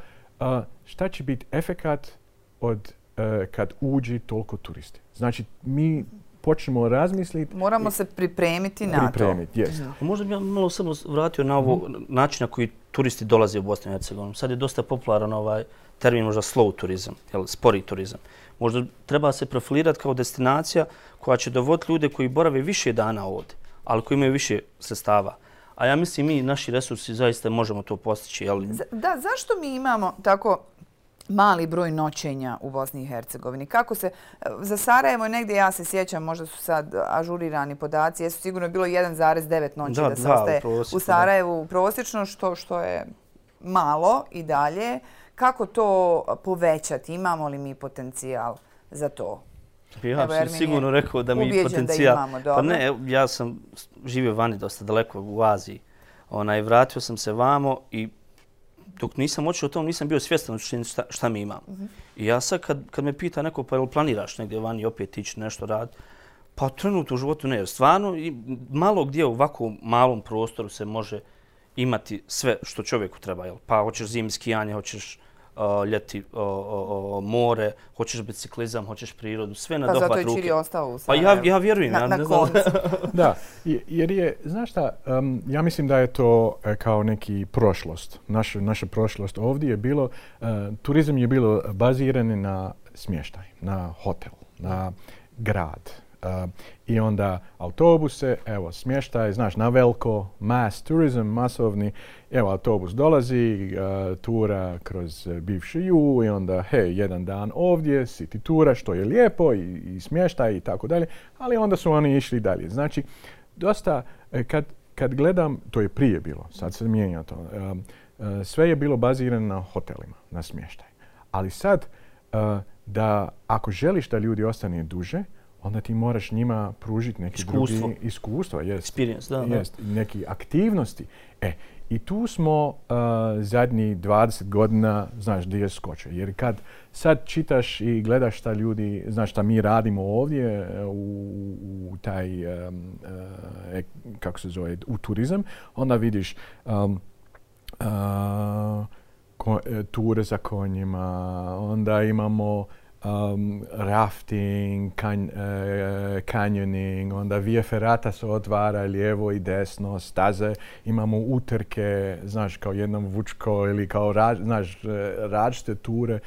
šta će biti efekat od kad uđi toliko turisti. Znači, mi počnemo razmisliti... Moramo se pripremiti na to. Yes. Možda bi ja malo samo vratio na ovo način na koji turisti dolaze u Bosnu i Hercegovinu. Sad je dosta popularan ovaj termin možda slow turizam, spori turizam. Možda treba se profilirati kao destinacija koja će dovoditi ljude koji borave više dana ovdje, ali koji imaju više sredstava. A ja mislim mi, naši resursi, zaista možemo to postići. Da, zašto mi imamo tako mali broj noćenja u Bosni i Hercegovini? Kako se, za Sarajevo negdje, ja se sjećam, možda su sad ažurirani podaci, jesu sigurno bilo 1,9 noći da se ostaje u Sarajevu prosječno, što je malo i dalje. Kako to povećati? Imamo li mi potencijal za to? Ja sam sigurno rekao da mi potencijal... Pa ne, ja sam živio vani dosta daleko u Aziji. Vratio sam se vamo i dok nisam otišao o tom, nisam bio svjestan šta mi imamo. I ja sad kad me pita neko, pa jel planiraš negdje vani opet ići nešto raditi, pa trenutno u životu ne. Stvarno, malo gdje u ovakvom malom prostoru se može imati sve što čovjeku treba. Pa hoćeš zimi skijanje, hoćeš ljeti more, hoćeš biciklizam, hoćeš prirodu, sve na dohvat ruke. Pa zato je Čiri ostao u Sarajevu. Pa ja vjerujem. Na koncu. Da, jer je, znaš šta, ja mislim da je to kao neki prošlost. Naša prošlost ovdje je bilo, turizam je bilo baziran na smještaj, na hotel, na grad. I onda autobuse, evo smještaj, znaš, na veliko, mass tourism, masovni, evo autobus dolazi, tura kroz bivši jug i onda, jedan dan ovdje, city tura, što je lijepo i smještaj i tako dalje, ali onda su oni išli dalje. Znači, dosta, kad kad gledam, to je prije bilo, sad se mijenja to, sve je bilo bazirano na hotelima, na smještaj. Ali sad, da ako želiš da ljudi ostane duže, onda ti moraš njima pružiti neki drugi iskustva. Neki aktivnosti. I tu smo zadnjih 20 godina, znaš, gdje je skočio. Jer kad sad čitaš i gledaš šta ljudi, znaš šta mi radimo ovdje u taj, kako se zove, u turizam, onda vidiš ture za konjima, onda imamo rafting, canyoning, onda via ferrata se otvara lijevo i desno, staze, imamo utrke, znaš, kao jednom vučko ili kao, znaš, različite ture.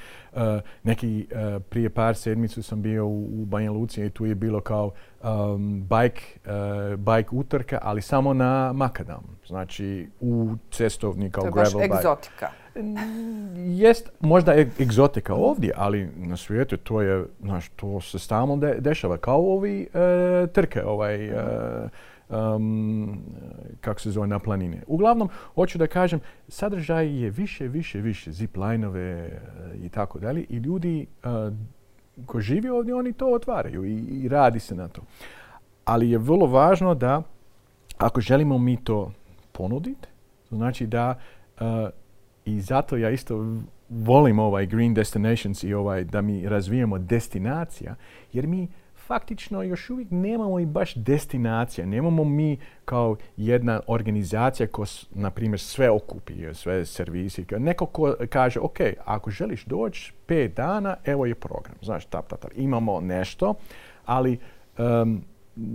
Prije par sedmicu sam bio u Banja Luci i tu je bilo kao bike utrka, ali samo na makadam. Znači, u cestovni kao gravel bike. To je baš egzotika. Jest možda egzotika ovdje, ali na svijetu to je, znaš, to se stalno dešava. Kao ovi trke, kako se zove, na planine. Uglavnom, hoću da kažem, sadržaj je više, ziplinove i tako dalje. I ljudi koji žive ovdje, oni to otvaraju i radi se na to. Ali je vrlo važno da, ako želimo mi to ponuditi, znači da i zato ja isto volim ovaj Green Destinations i da mi razvijemo destinacija, jer mi faktično još uvijek nemamo i baš destinacija. Nemamo mi kao jedna organizacija koja, na primjer, sve okupi, sve servisi. Neko ko kaže, ok, ako želiš doći 5 dana, evo je program. Znaš, imamo nešto, ali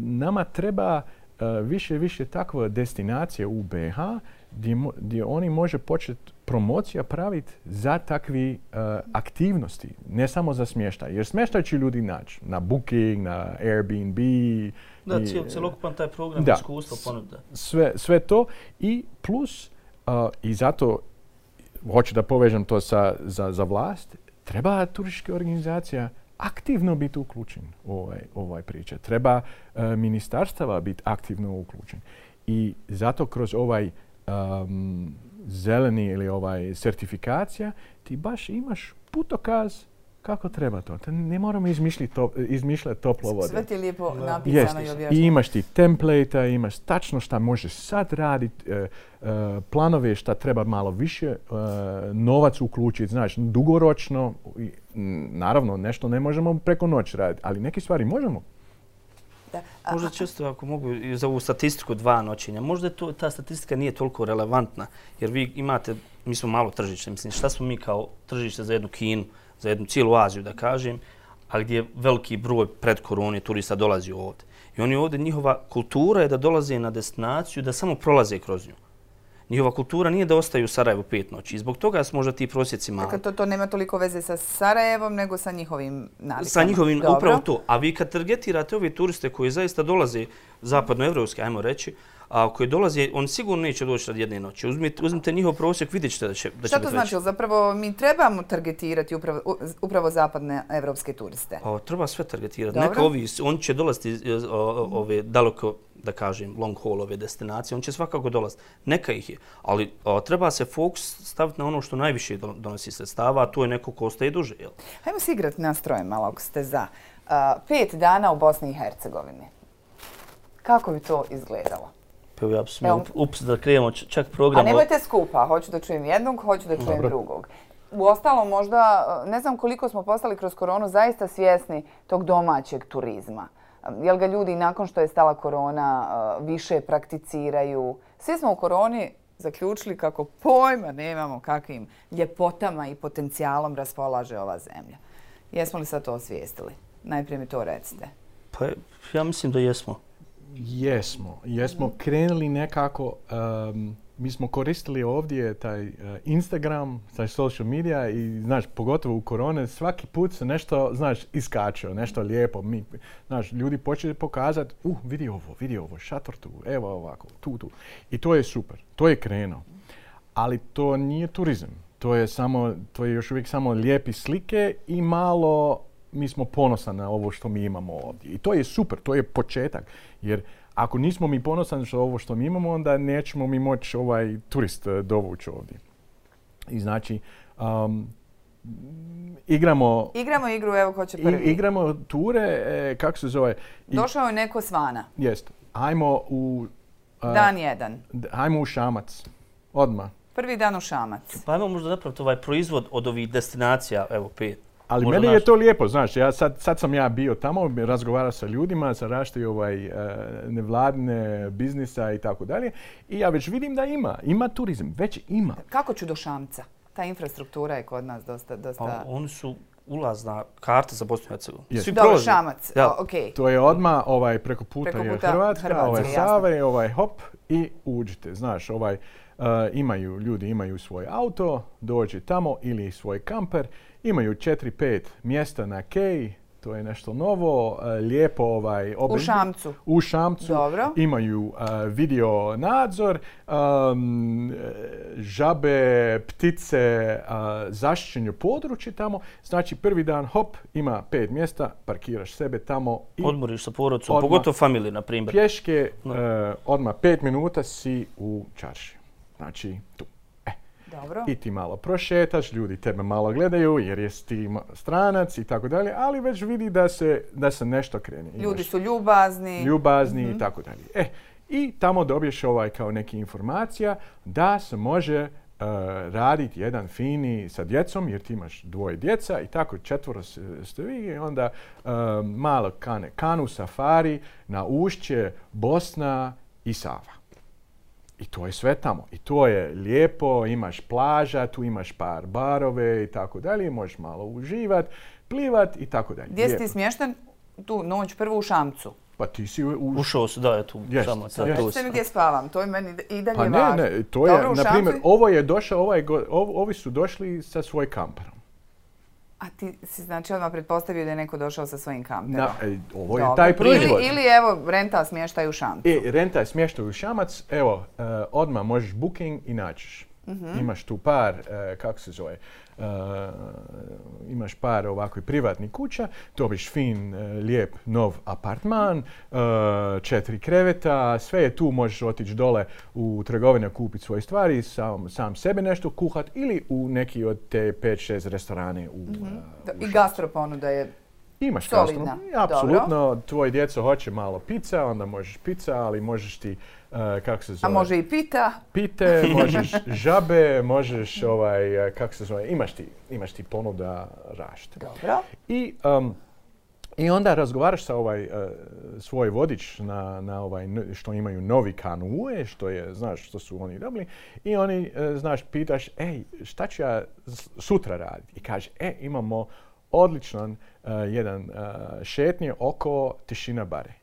nama treba više takva destinacija u BiH gdje oni može početi promocija praviti za takvi aktivnosti, ne samo za smještaj. Jer smještaj će ljudi naći na Booking, na Airbnb. Da, cjelokupan taj program iskustva ponuda. Sve to i plus, i zato hoću da povežem to za vlast, treba turistička organizacija aktivno biti uključen u ovaj priča. Treba ministarstava biti aktivno uključen. I zato kroz ovaj zeleni ili certifikacija ti baš imaš putokaz kako treba to. Ne moramo izmišljati toplo vode. Sve ti je lijepo napisano i objašnjeno. I imaš ti template-a, imaš tačno šta možeš sad raditi, planove šta treba malo više novac uključiti, znaš, dugoročno. Naravno, nešto ne možemo preko noći raditi, ali neke stvari možemo. Možda čisto ako mogu za ovu statistiku 2 noćenja, možda ta statistika nije toliko relevantna, jer vi imate, mi smo malo tržište, mislim, šta smo mi kao tržište za jednu Kinu, za jednu cijelu Aziju, da kažem, a gdje veliki broj pred korone turista dolazi ovdje. I oni ovdje, njihova kultura je da dolaze na destinaciju, da samo prolaze kroz nju. Njihova kultura nije da ostaju u Sarajevu 5 noći. I zbog toga su možda ti prosjeci mali. Dakle, to nema toliko veze sa Sarajevom, nego sa njihovim navikama. Sa njihovim, upravo to. A vi kad targetirate ove turiste koji zaista dolaze zapadnoevropske, ajmo reći, a koji dolaze, oni sigurno neće doći od jedne noći. Uzmite njihov prosjek, vidjet ćete da će biti veći. Šta to znači? Zapravo mi trebamo targetirati upravo zapadne evropske turiste? Treba sve targetirati. Neka oni će dolaziti ove daleko, da kažem, long haul ove destinacije, on će svakako dolaziti. Neka ih je, ali treba se fokus staviti na ono što najviše donosi sredstava, a to je neko ko ostaje duže. Hajmo se igrati nastrojem malo ako ste za. 5 dana u Bosni i Hercegovini. Kako bi to izgledalo? Ja bi smio da krijemo čak program. A nemojte skupa, hoću da čujem jednog, hoću da čujem drugog. Uostalom, možda, ne znam koliko smo postali kroz koronu zaista svjesni tog domaćeg turizma. Jel ga ljudi nakon što je stala korona više prakticiraju? Svi smo u koroni zaključili kako pojma nemamo kakvim ljepotama i potencijalom raspolaže ova zemlja. Jesmo li sad to osvijestili? Najprije mi to recite. Pa ja mislim da jesmo. Jesmo krenuli nekako, mi smo koristili ovdje taj Instagram, taj social media i, znaš, pogotovo u korone, svaki put se nešto, znaš, iskačeo, nešto lijepo. Znaš, ljudi počeli pokazati, vidi ovo, šator tu, evo ovako, tu. I to je super, to je krenuo. Ali to nije turizam. To je još uvijek samo lijepi slike i malo mi smo ponosni na ovo što mi imamo ovdje. I to je super, to je početak. Jer ako nismo mi ponosni na ovo što mi imamo, onda nećemo mi moći turist dovući ovdje. I znači, igramo igru, evo ko će prvi. Igramo ture, kako se zove? Došao je neko s vana. Jest. Ajmo u... Dan jedan. Ajmo u Šamac. Odmah. Prvi dan u Šamac. Pa ajmo možda napraviti proizvod od ovih destinacija, evo 5. Ali meni je to lijepo, znaš, sad sam ja bio tamo, razgovarao sa ljudima, sa rašti nevladine biznisa i tako dalje. I ja već vidim da ima turizam, već ima. Kako ću do Šamca? Ta infrastruktura je kod nas dosta... Pa, oni su ulazna karta za Bosnu i Hercegovinu. Dobro, Šamac, okej. To je odmah preko puta je Hrvatska, Save, hop i uđite. Znaš, ljudi imaju svoj auto, dođe tamo ili svoj kamper, imaju 4-5 mjesta na keji, to je nešto novo, lijepo U Šamcu. U Šamcu. Dobro. Imaju video nadzor, žabe, ptice, zaštićeno područje tamo. Znači prvi dan, hop, ima 5 mjesta, parkiraš sebe tamo. I odmoriš sa porodicom, pogotovo familiju, na primjer. Pješke, odmah 5 minuta si u čarši. Znači tu. Dobro. I ti malo prošetaš, ljudi tebe malo gledaju jer jesi ti stranac i tako dalje, ali već vidi da se nešto krene. Ljudi su ljubazni. I tako dalje. I tamo dobiješ kao neke informacija da se može raditi jedan fini sa djecom, jer ti imaš 2 djeca i tako 4 ste vi i onda malo kanu safari na ušće Bosna i Sava. I to je sve tamo. I to je lijepo, imaš plaža, tu imaš par barove i tako dalje, možeš malo uživat, plivat i tako dalje. Gdje si ti smješten? Tu noć prvo u Šamcu. Pa ti si ušao si, da, je tu Šamac. Recite mi gdje spavam, to je meni i dalje važno. Pa ne, to je, na primjer, ovi su došli sa svoj kamperom. A ti si znači odmah pretpostavio da je neko došao sa svojim kamperom. Ovo je taj proizvod. Ili evo, renta smještaj u Šamcu. Renta smještaj u Šamac, evo, odmah možeš booking i naćiš. Imaš tu par, kako se zove, imaš par ovakvih privatnih kuća, dobiš fin, lijep, nov apartman, 4 kreveta, sve je tu, možeš otići dole u trgovine kupiti svoje stvari, sam sebe nešto kuhat ili u neki od te 5-6 restorane u I gastroponuda je imaš solidna. Apsolutno, tvoje djeco hoće malo pizza, onda možeš pizza, ali možeš ti, kako se zove? A može i pita? Pite, možeš žabe, možeš, kako se zove, imaš ti ponuda rašta. Dobro. I onda razgovaraš sa svoj vodič na što imaju novi kanue, što su oni dobili. I oni, pitaš, šta ću ja sutra raditi? I kaže, imamo odličan jedan šetnje oko Tišina bare.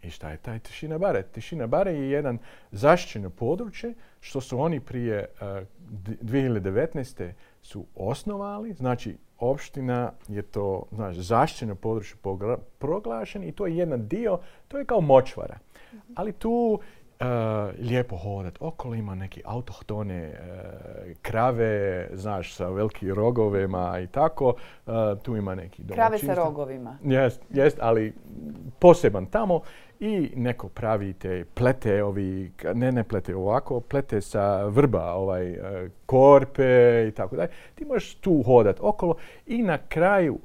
I šta je taj Tišina bare? Tišina bare je jedan zaštićeno područje što su oni prije 2019. su osnovali. Znači, opština je to zaštićeno područje proglašen i to je jedan dio, to je kao močvara. Ali tu lijepo hodat. Okolo ima neke autohtone krave, sa velikim rogovima i tako. Tu ima neki domaćinstva. Krave sa rogovima. Jest, ali poseban tamo. I neko pravi te plete, ne plete ovako, plete sa vrba, korpe i tako dalje. Ti možeš tu hodat okolo i na kraju,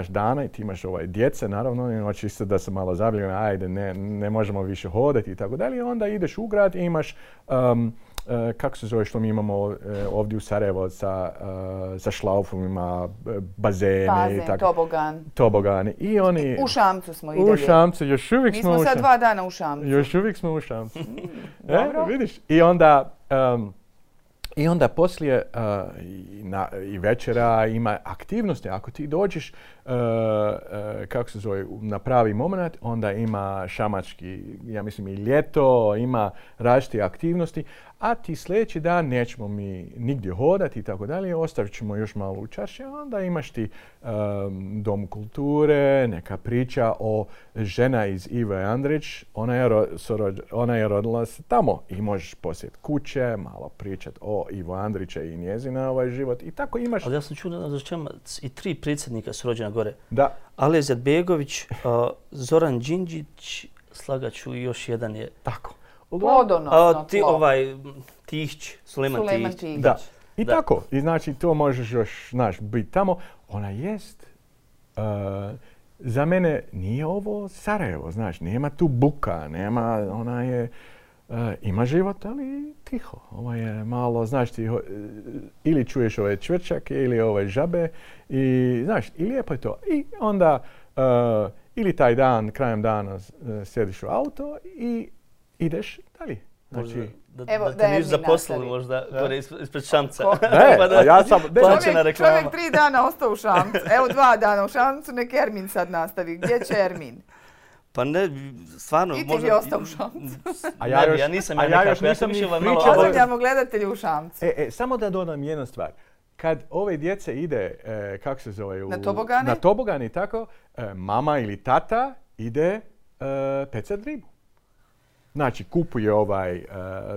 dana, ti imaš djece, naravno, hoće isto da se malo zabavljaju, ajde, ne možemo više hodati i tako dalje. I onda ideš u grad i imaš, kako se zove što mi imamo ovdje u Sarajevo sa šlaufovima, bazene i tako. Tobogani. I oni... U Šamcu smo i dalje. U Šamcu, još uvijek smo u Šamcu. Mi smo sad 2 dana u Šamcu. Još uvijek smo u Šamcu. Dobro. Vidiš? I onda poslije i večera ima aktivnosti. Ako ti dođeš, kako se zove, na pravi moment, onda ima šamački, ja mislim i ljeto, ima različite aktivnosti, a ti sljedeći dan nećemo mi nigdje hodati i tako dalje, ostavit ćemo još malo u čarši, a onda imaš ti dom kulture, neka priča o žena iz Ive Andrić, ona je rodila se tamo i možeš posjetiti kuće, malo pričati o Ivo Andrića i njezina život i tako imaš. Ali ja sam čuo da i 3 predsjednika su rođena gore. Da. Alija Izetbegović, Zoran Đinđić, slagaću i još jedan je... Tako. Plodonosno tlo. Tihić, Sulejman Tihić. Da. I tako. I znači to možeš još, znaš, biti tamo. Ona jest... za mene nije ovo Sarajevo, znaš, nema tu buka, nema, ona je... ima život, ali tiho. Ovo je malo, znaš ti, ili čuješ ove čvrčake ili ove žabe i, znaš, i lijepo je to. I onda ili taj dan, krajem dana sjediš u auto i ideš dalje. Znači, da te niš zaposlili možda gore ispred Šamca. Ne, a ja sam... Čovjek 3 dana ostao u Šamcu. Evo 2 dana u Šamcu, nek Ermin sad nastavi. Gdje će Ermin? Pa ne, stvarno... I ti bi ostao u Šamcu. Ja nisam nekako, ja sam mišljava malo... Pozdravljamo gledatelji u Šamcu. Samo da dodam jednu stvar. Kad ove djece ide, kako se zove? Na tobogane i tako, mama ili tata ide pecat ribu. Znači, kupuje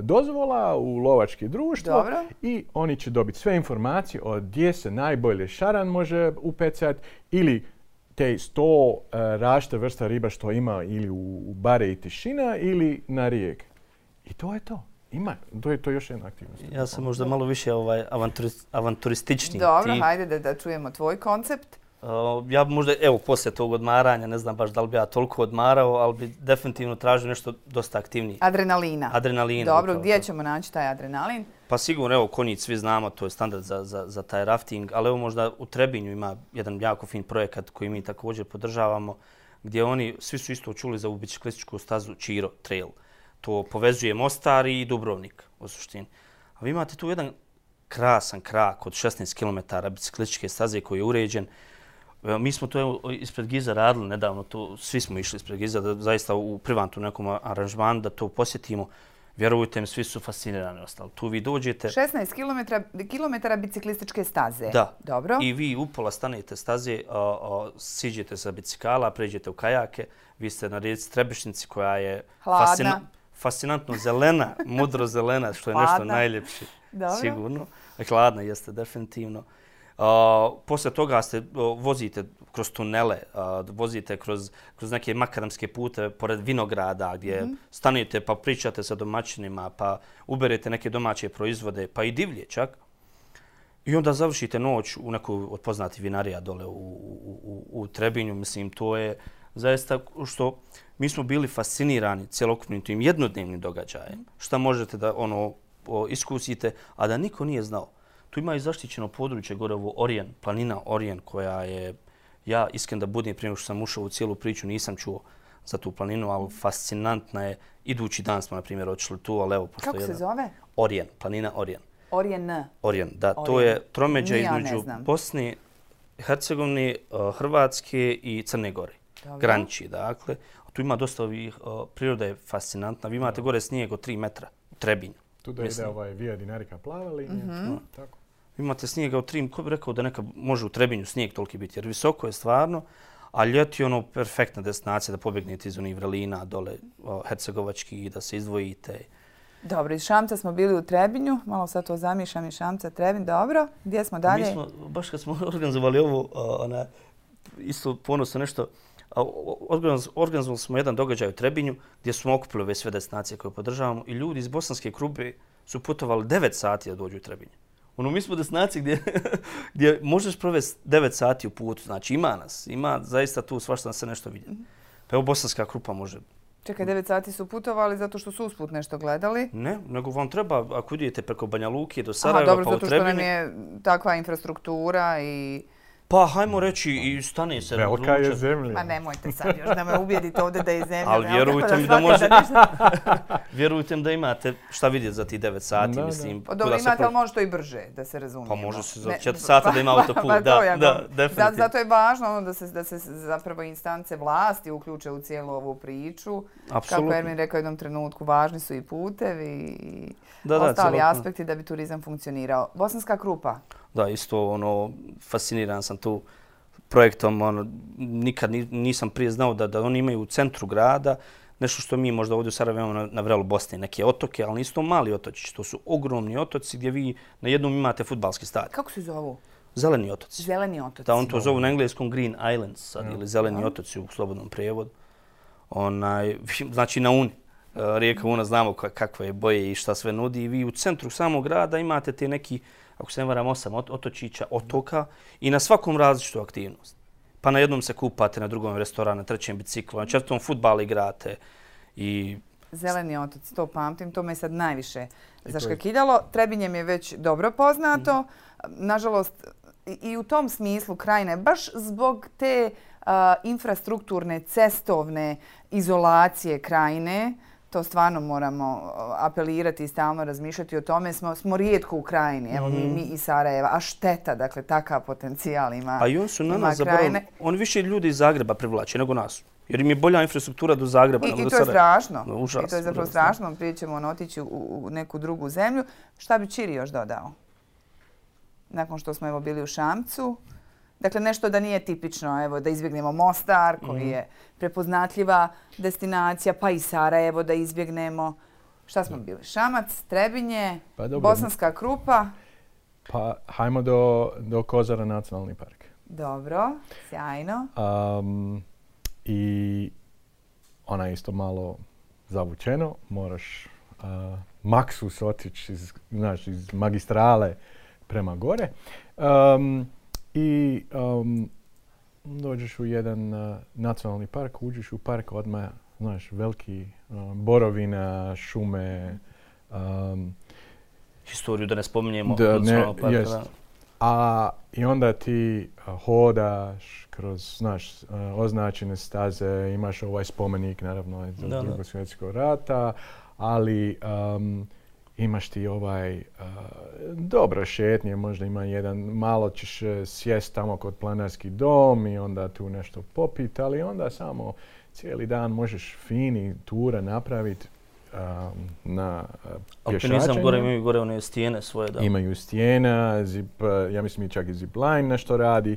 dozvola u lovačke društvo i oni će dobiti sve informacije o gdje se najbolje šaran može upecati ili te 100 različite vrsta riba što ima ili u bare i tišina ili na rijek. I to je to. To je još jedna aktivnost. Ja sam možda malo više avanturistični. Dobro, hajde da čujemo tvoj koncept. Ja možda, evo, poslije tog odmaranja, ne znam baš da li bi ja toliko odmarao, ali bi definitivno tražio nešto dosta aktivnije. Adrenalina. Dobro, gdje ćemo naći taj adrenalin? Pa sigurno, evo, Konjic, svi znamo, to je standard za taj rafting, ali evo možda u Trebinju ima jedan jako fin projekat koji mi također podržavamo, gdje oni, svi su isto čuli za ovu biciklističku stazu Čiro Trail. To povezuje Mostar i Dubrovnik, u suštini. A vi imate tu jedan krasan krak od 16 km biciklističke staze koji je uređen. Mi smo to ispred Giza radili nedavno, svi smo išli ispred Giza, da zaista u privatnom nekom aranžmanu da to posjetimo. Vjerujte mi, svi su fascinirani ostali. Tu vi dođete... 16 km biciklističke staze. Da. Dobro. I vi upola stanete staze, siđete sa bicikala, pređete u kajake. Vi ste na rijeci Trebišnjici koja je fascinantno zelena, mudro zelena, što je nešto najljepše. Sigurno. Hladna jeste definitivno. Poslije toga vozite kroz tunele, vozite kroz neke makadamske pute pored vinograda gdje stanete pa pričate sa domaćinima, pa uberete neke domaće proizvode, pa i divlje čak. I onda završite noć u nekoj od poznatih vinarija dole u Trebinju. Mislim, to je zaista što mi smo bili fascinirani cjelokupnim tim jednodnevnim događajem. Šta možete da iskusite, a da niko nije znao. Tu ima i zaštićeno područje gore ovo planina Orijen koja je, ja iskren da budem prije što sam ušao u cijelu priču, nisam čuo za tu planinu, ali fascinantna je. Idući dan smo, na primjer, otišli tu, ali evo... Kako se zove? Orijen, planina Orijen. Orijen, da. To je tromeđa između Bosne, Hercegovine, Hrvatske i Crne Gore. Graniči, dakle. Tu ima dosta ovih, priroda je fascinantna. Vi imate gore snijeg od 3 metra u Trebinju. Tu da ide Via Dinarica plava linija. Tako. Imate snijega od 3, ko bi rekao da neka može u Trebinju snijeg toliki biti, jer visoko je stvarno, a ljeti je perfektna destinacija da pobjegnete iz onih vrelina dole hercegovački i da se izdvojite. Dobro, iz Šamca smo bili u Trebinju, malo sad to zamišljam iz Šamca, Trebinj, dobro. Gdje smo dalje? Mi smo, baš kad smo organizovali ovo, isto ponosno nešto, organizovali smo jedan događaj u Trebinju gdje smo okupili ove sve destinacije koje podržavamo i ljudi iz bosanske grupe su putovali 9 sati da dođu u Trebinju. Mi smo destinacije gdje možeš provesti 9 sati u putu, znači ima nas, ima zaista tu svašta se nešto vidjeti. Pa evo bosanska grupa može. Čekaj, 9 sati su putovali zato što su usput nešto gledali? Ne, nego vam treba, ako idete preko Banja Luke do Sarajeva pa u Trebinju... Dobro, zato što nam je takva infrastruktura i... Pa, hajmo reći, i stane se na Velika je zemlja. Ma nemojte sad još da me ubijedite ovdje da je zemlja. Ali vjerujte mi da može... Vjerujte mi da imate šta vidjeti za ti 9 sati, mislim. Dobro, imate, ali može to i brže, da se razumijemo. Pa može se za 4 sata da ima autoput, da, definitivno. Zato je važno da se zapravo instance vlasti uključe u cijelu ovu priču. Kako Ermin rekao u jednom trenutku, važni su i putevi i ostali aspekti da bi turizam funkcionirao. Bosanska Krupa. Da, isto fasciniran sam tu projektom. Nikad nisam prije znao da oni imaju u centru grada nešto što mi možda ovdje u Sarajevu imamo na vrelu Bosne, neke otoke, ali nisu to mali otočići. To su ogromni otoci gdje vi na jednom imate fudbalski stadion. Kako se zovu? Zeleni otoci. Zeleni otoci. Da, on to zovu na engleskom Green Islands sad, ili zeleni otoci u slobodnom prijevodu. Znači na Uni. Rijeka Una znamo kakve je boje i šta sve nudi. I vi u centru samog grada imate te neki, ako se ne varam, 8 otočića, otoka i na svakom različitu aktivnost. Pa na jednom se kupate, na drugom restoran, na trećem biciklu, na četvrtom fudbal igrate. Zeleni otoci, to pamtim, to me sad najviše zaškakidalo. Trebinje mi je već dobro poznato. Nažalost, i u tom smislu Krajine, baš zbog te infrastrukturne, cestovne izolacije Krajine, to stvarno moramo apelirati i stalno razmišljati o tome. Smo rijetko u Krajini, evo mi iz Sarajeva, a šteta, dakle, takav potencijal ima. A i on su na nas zaboravili, on više ljudi iz Zagreba privlači nego nas. Jer im je bolja infrastruktura do Zagreba. I to je strašno. I to je zapravo strašno. Prije ćemo otići u neku drugu zemlju. Šta bi Čiri još dodao? Nakon što smo bili u Šamcu. Dakle, nešto da nije tipično, evo, da izbjegnemo Mostar, koji je prepoznatljiva destinacija, pa i Sarajevo da izbjegnemo. Šta smo bili? Šamac, Trebinje, Bosanska Krupa. Pa, hajmo do Kozara nacionalni park. Dobro, sjajno. I ona je isto malo zavučeno. Moraš maksus otići iz magistrale prema gore. I dođeš u jedan nacionalni park, uđeš u park odmah, znaš, veliki borovina, šume. Historiju da ne spominjemo nacionalnog parka. I onda ti hodaš kroz, znaš, označene staze, imaš ovaj spomenik, naravno, iz Drugog svjetskog rata, ali imaš ti dobro šetnje, možda ima jedan, malo ćeš sjest tamo kod Planarski dom i onda tu nešto popiti, ali onda samo cijeli dan možeš fini tura napraviti na pješačenju. Alpinizam gore imaju gore one stijene svoje. Da. Imaju stijena, ja mislim i čak i zipline nešto radi.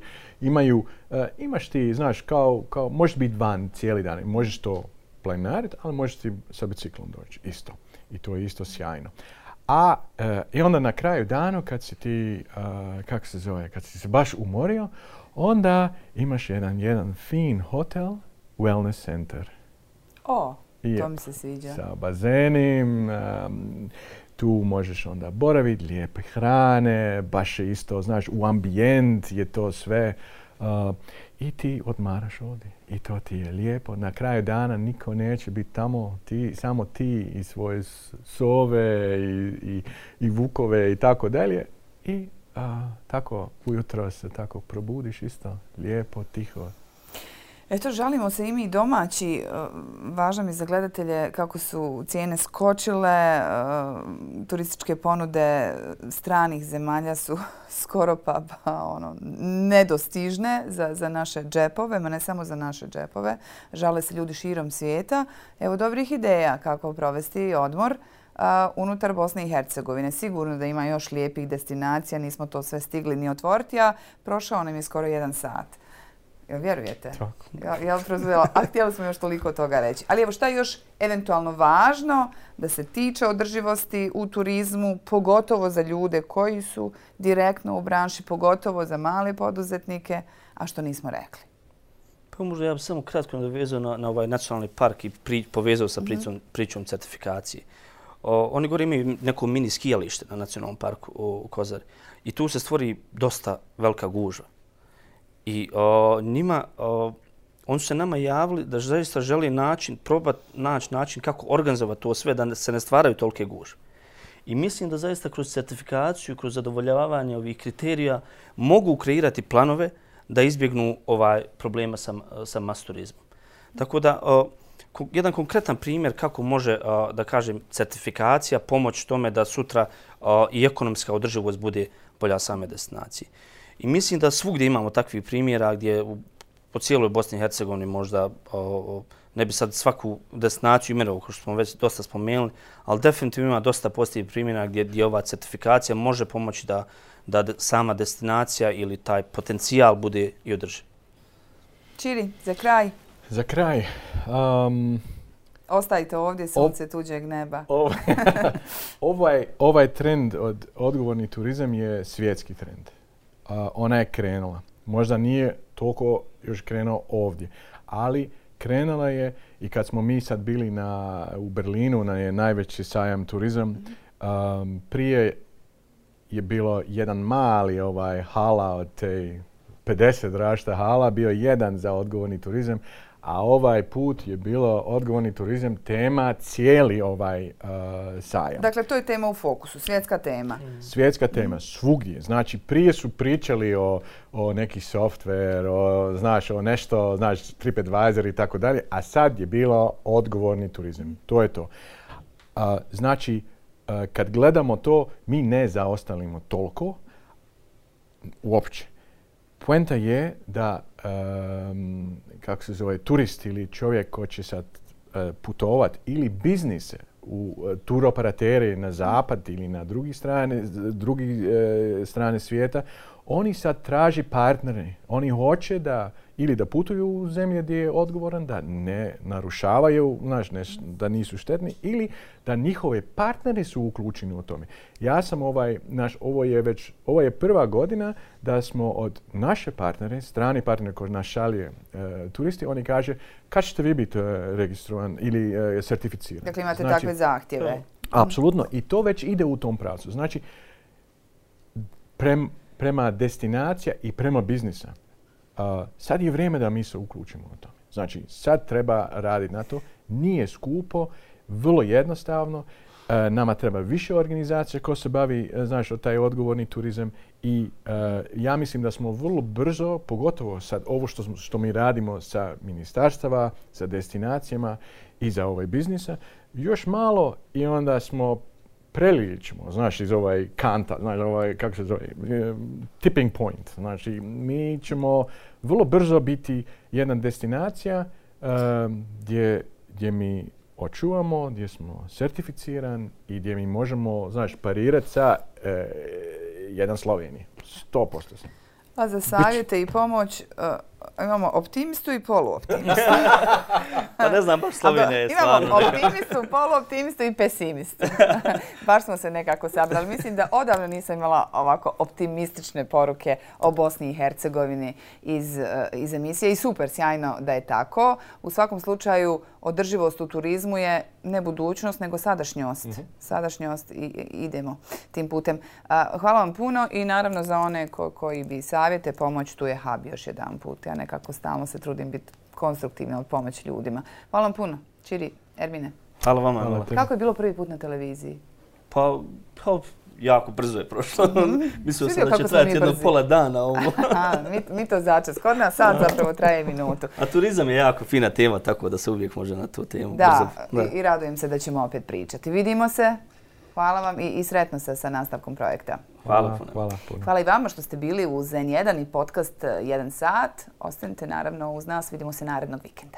Imaš ti, znaš, kao možeš biti van cijeli dan, možeš to planariti, ali možeš ti sa biciklom doći isto. I to je isto sjajno. I onda na kraju dana kad si ti, kad si se baš umorio, onda imaš jedan fin hotel, wellness center. To mi se sviđa. Sa bazenim, tu možeš onda boraviti, lijepe hrane, baš je isto, znaš, u ambijent je to sve. I ti odmaraš ovdje. I to ti je lijepo. Na kraju dana niko neće biti tamo. Samo ti i svoje sove i vukove i tako dalje. I tako ujutro se tako probudiš isto. Lijepo, tiho. Eto, žalimo se i mi domaći. Važno mi za gledatelje kako su cijene skočile. Turističke ponude stranih zemalja su skoro pa nedostižne za naše džepove, ma ne samo za naše džepove. Žale se ljudi širom svijeta. Evo dobrih ideja kako provesti odmor unutar Bosne i Hercegovine. Sigurno da ima još lijepih destinacija, nismo to sve stigli ni otvoriti, a prošao nam je skoro 1 sat. Jel vjerujete? A htjeli smo još toliko toga reći. Ali evo šta je još eventualno važno da se tiče održivosti u turizmu, pogotovo za ljude koji su direktno u branši, pogotovo za male poduzetnike, a što nismo rekli? Pa možda ja bih samo kratko nadovezao na ovaj nacionalni park i povezao sa pričom certifikacije. Oni gore imaju neko mini skijalište na nacionalnom parku u Kozari i tu se stvori dosta velika gužva. I oni su se nama javili da zaista žele probati naći način kako organizovati to sve, da se ne stvaraju tolike gužve. I mislim da zaista kroz certifikaciju, kroz zadovoljavanje ovih kriterija mogu kreirati planove da izbjegnu problema sa mass turizmom. Tako da, jedan konkretan primjer kako može, da kažem, certifikacija pomoći tome da sutra i ekonomska održivost bude bolja same destinacije. I mislim da svugdje imamo takvih primjera gdje po cijeloj Bosni i Hercegovini možda ne bi sad svaku destinaciju imenovao, kao što smo već dosta spomenuli, ali definitivno ima dosta pozitivnih primjera gdje ova certifikacija može pomoći da sama destinacija ili taj potencijal bude i održiv. Čiri, za kraj. Za kraj. Ostajte ovdje, sunce tuđeg neba. Ovaj trend od odgovorni turizam je svjetski trend. ona je krenula. Možda nije toliko još krenuo ovdje, ali krenula je i kad smo mi sad bili u Berlinu, na najveći sajam turizam, prije je bilo jedan mali hala od te 50 različita hala, bio jedan za odgovorni turizam, a ovaj put je bilo odgovorni turizam tema cijeli sajam. Dakle, to je tema u fokusu, svjetska tema. Svjetska tema, svugdje. Znači, prije su pričali o neki software, o nešto, TripAdvisor i tako dalje, a sad je bilo odgovorni turizam. To je to. Znači, kad gledamo to, mi ne zaostalimo toliko uopće. Poenta je da kako se zove, turist ili čovjek ko će sad putovat ili biznise u turoperateri na zapad ili na drugi strane svijeta, oni sad traži partnere. Oni hoće da ili da putuju u zemlje gdje je odgovoran, da ne narušavaju, da nisu štetni, ili da njihove partneri su uključeni u tome. Ja sam ovo je prva godina da smo od naše partnere, strani partnere koji nas šalje turisti, oni kaže kad ćete vi biti registrovan ili certificiran. Dakle, imate takve zahtjeve. Apsolutno. I to već ide u tom pravcu. Znači, prema destinacija i prema biznisa. Sad je vrijeme da mi se uključimo u to. Znači, sad treba raditi na to. Nije skupo, vrlo jednostavno. Nama treba više organizacija ko se bavi, taj odgovorni turizam. I ja mislim da smo vrlo brzo, pogotovo sad ovo što mi radimo sa ministarstava, sa destinacijama i za biznisa, još malo i onda smo prelili ćemo, iz kanta, kako se zove, tipping point. Znači, mi ćemo vrlo brzo biti jedna destinacija gdje mi očuvamo, gdje smo certificiran i gdje mi možemo, parirati sa jedan Sloveniji. 100% sam. Pa za savjete i pomoć imamo optimistu i poluoptimistu. Pa ne znam, baš Slovenija je stvarno. Imamo optimistu, poluoptimistu i pesimistu. Baš smo se nekako sabrali. Mislim da odavno nisam imala ovako optimistične poruke o Bosni i Hercegovini iz emisije i super, sjajno da je tako. U svakom slučaju, održivost u turizmu je ne budućnost, nego sadašnjost. Sadašnjost i idemo tim putem. Hvala vam puno i naravno za one koji bi savjete, pomoć, tu je Hub još jedan put. Ja nekako stalno se trudim biti konstruktivna od pomoći ljudima. Hvala vam puno. Čiri, Ermine. Hvala vama. Kako je bilo prvi put na televiziji? Pa jako brzo je prošlo. Mislio sam da će trajati jedno pola dana ovo. Mi to začas. Kod nas sad zapravo traje minutu. A turizam je jako fina tema, tako da se uvijek može na tu temu da. I radujem se da ćemo opet pričati. Vidimo se. Hvala vam i sretno se sa nastavkom projekta. Hvala puno. Hvala i vama što ste bili uz N1 i podcast 1 sat. Ostanite naravno uz nas. Vidimo se narednog vikenda.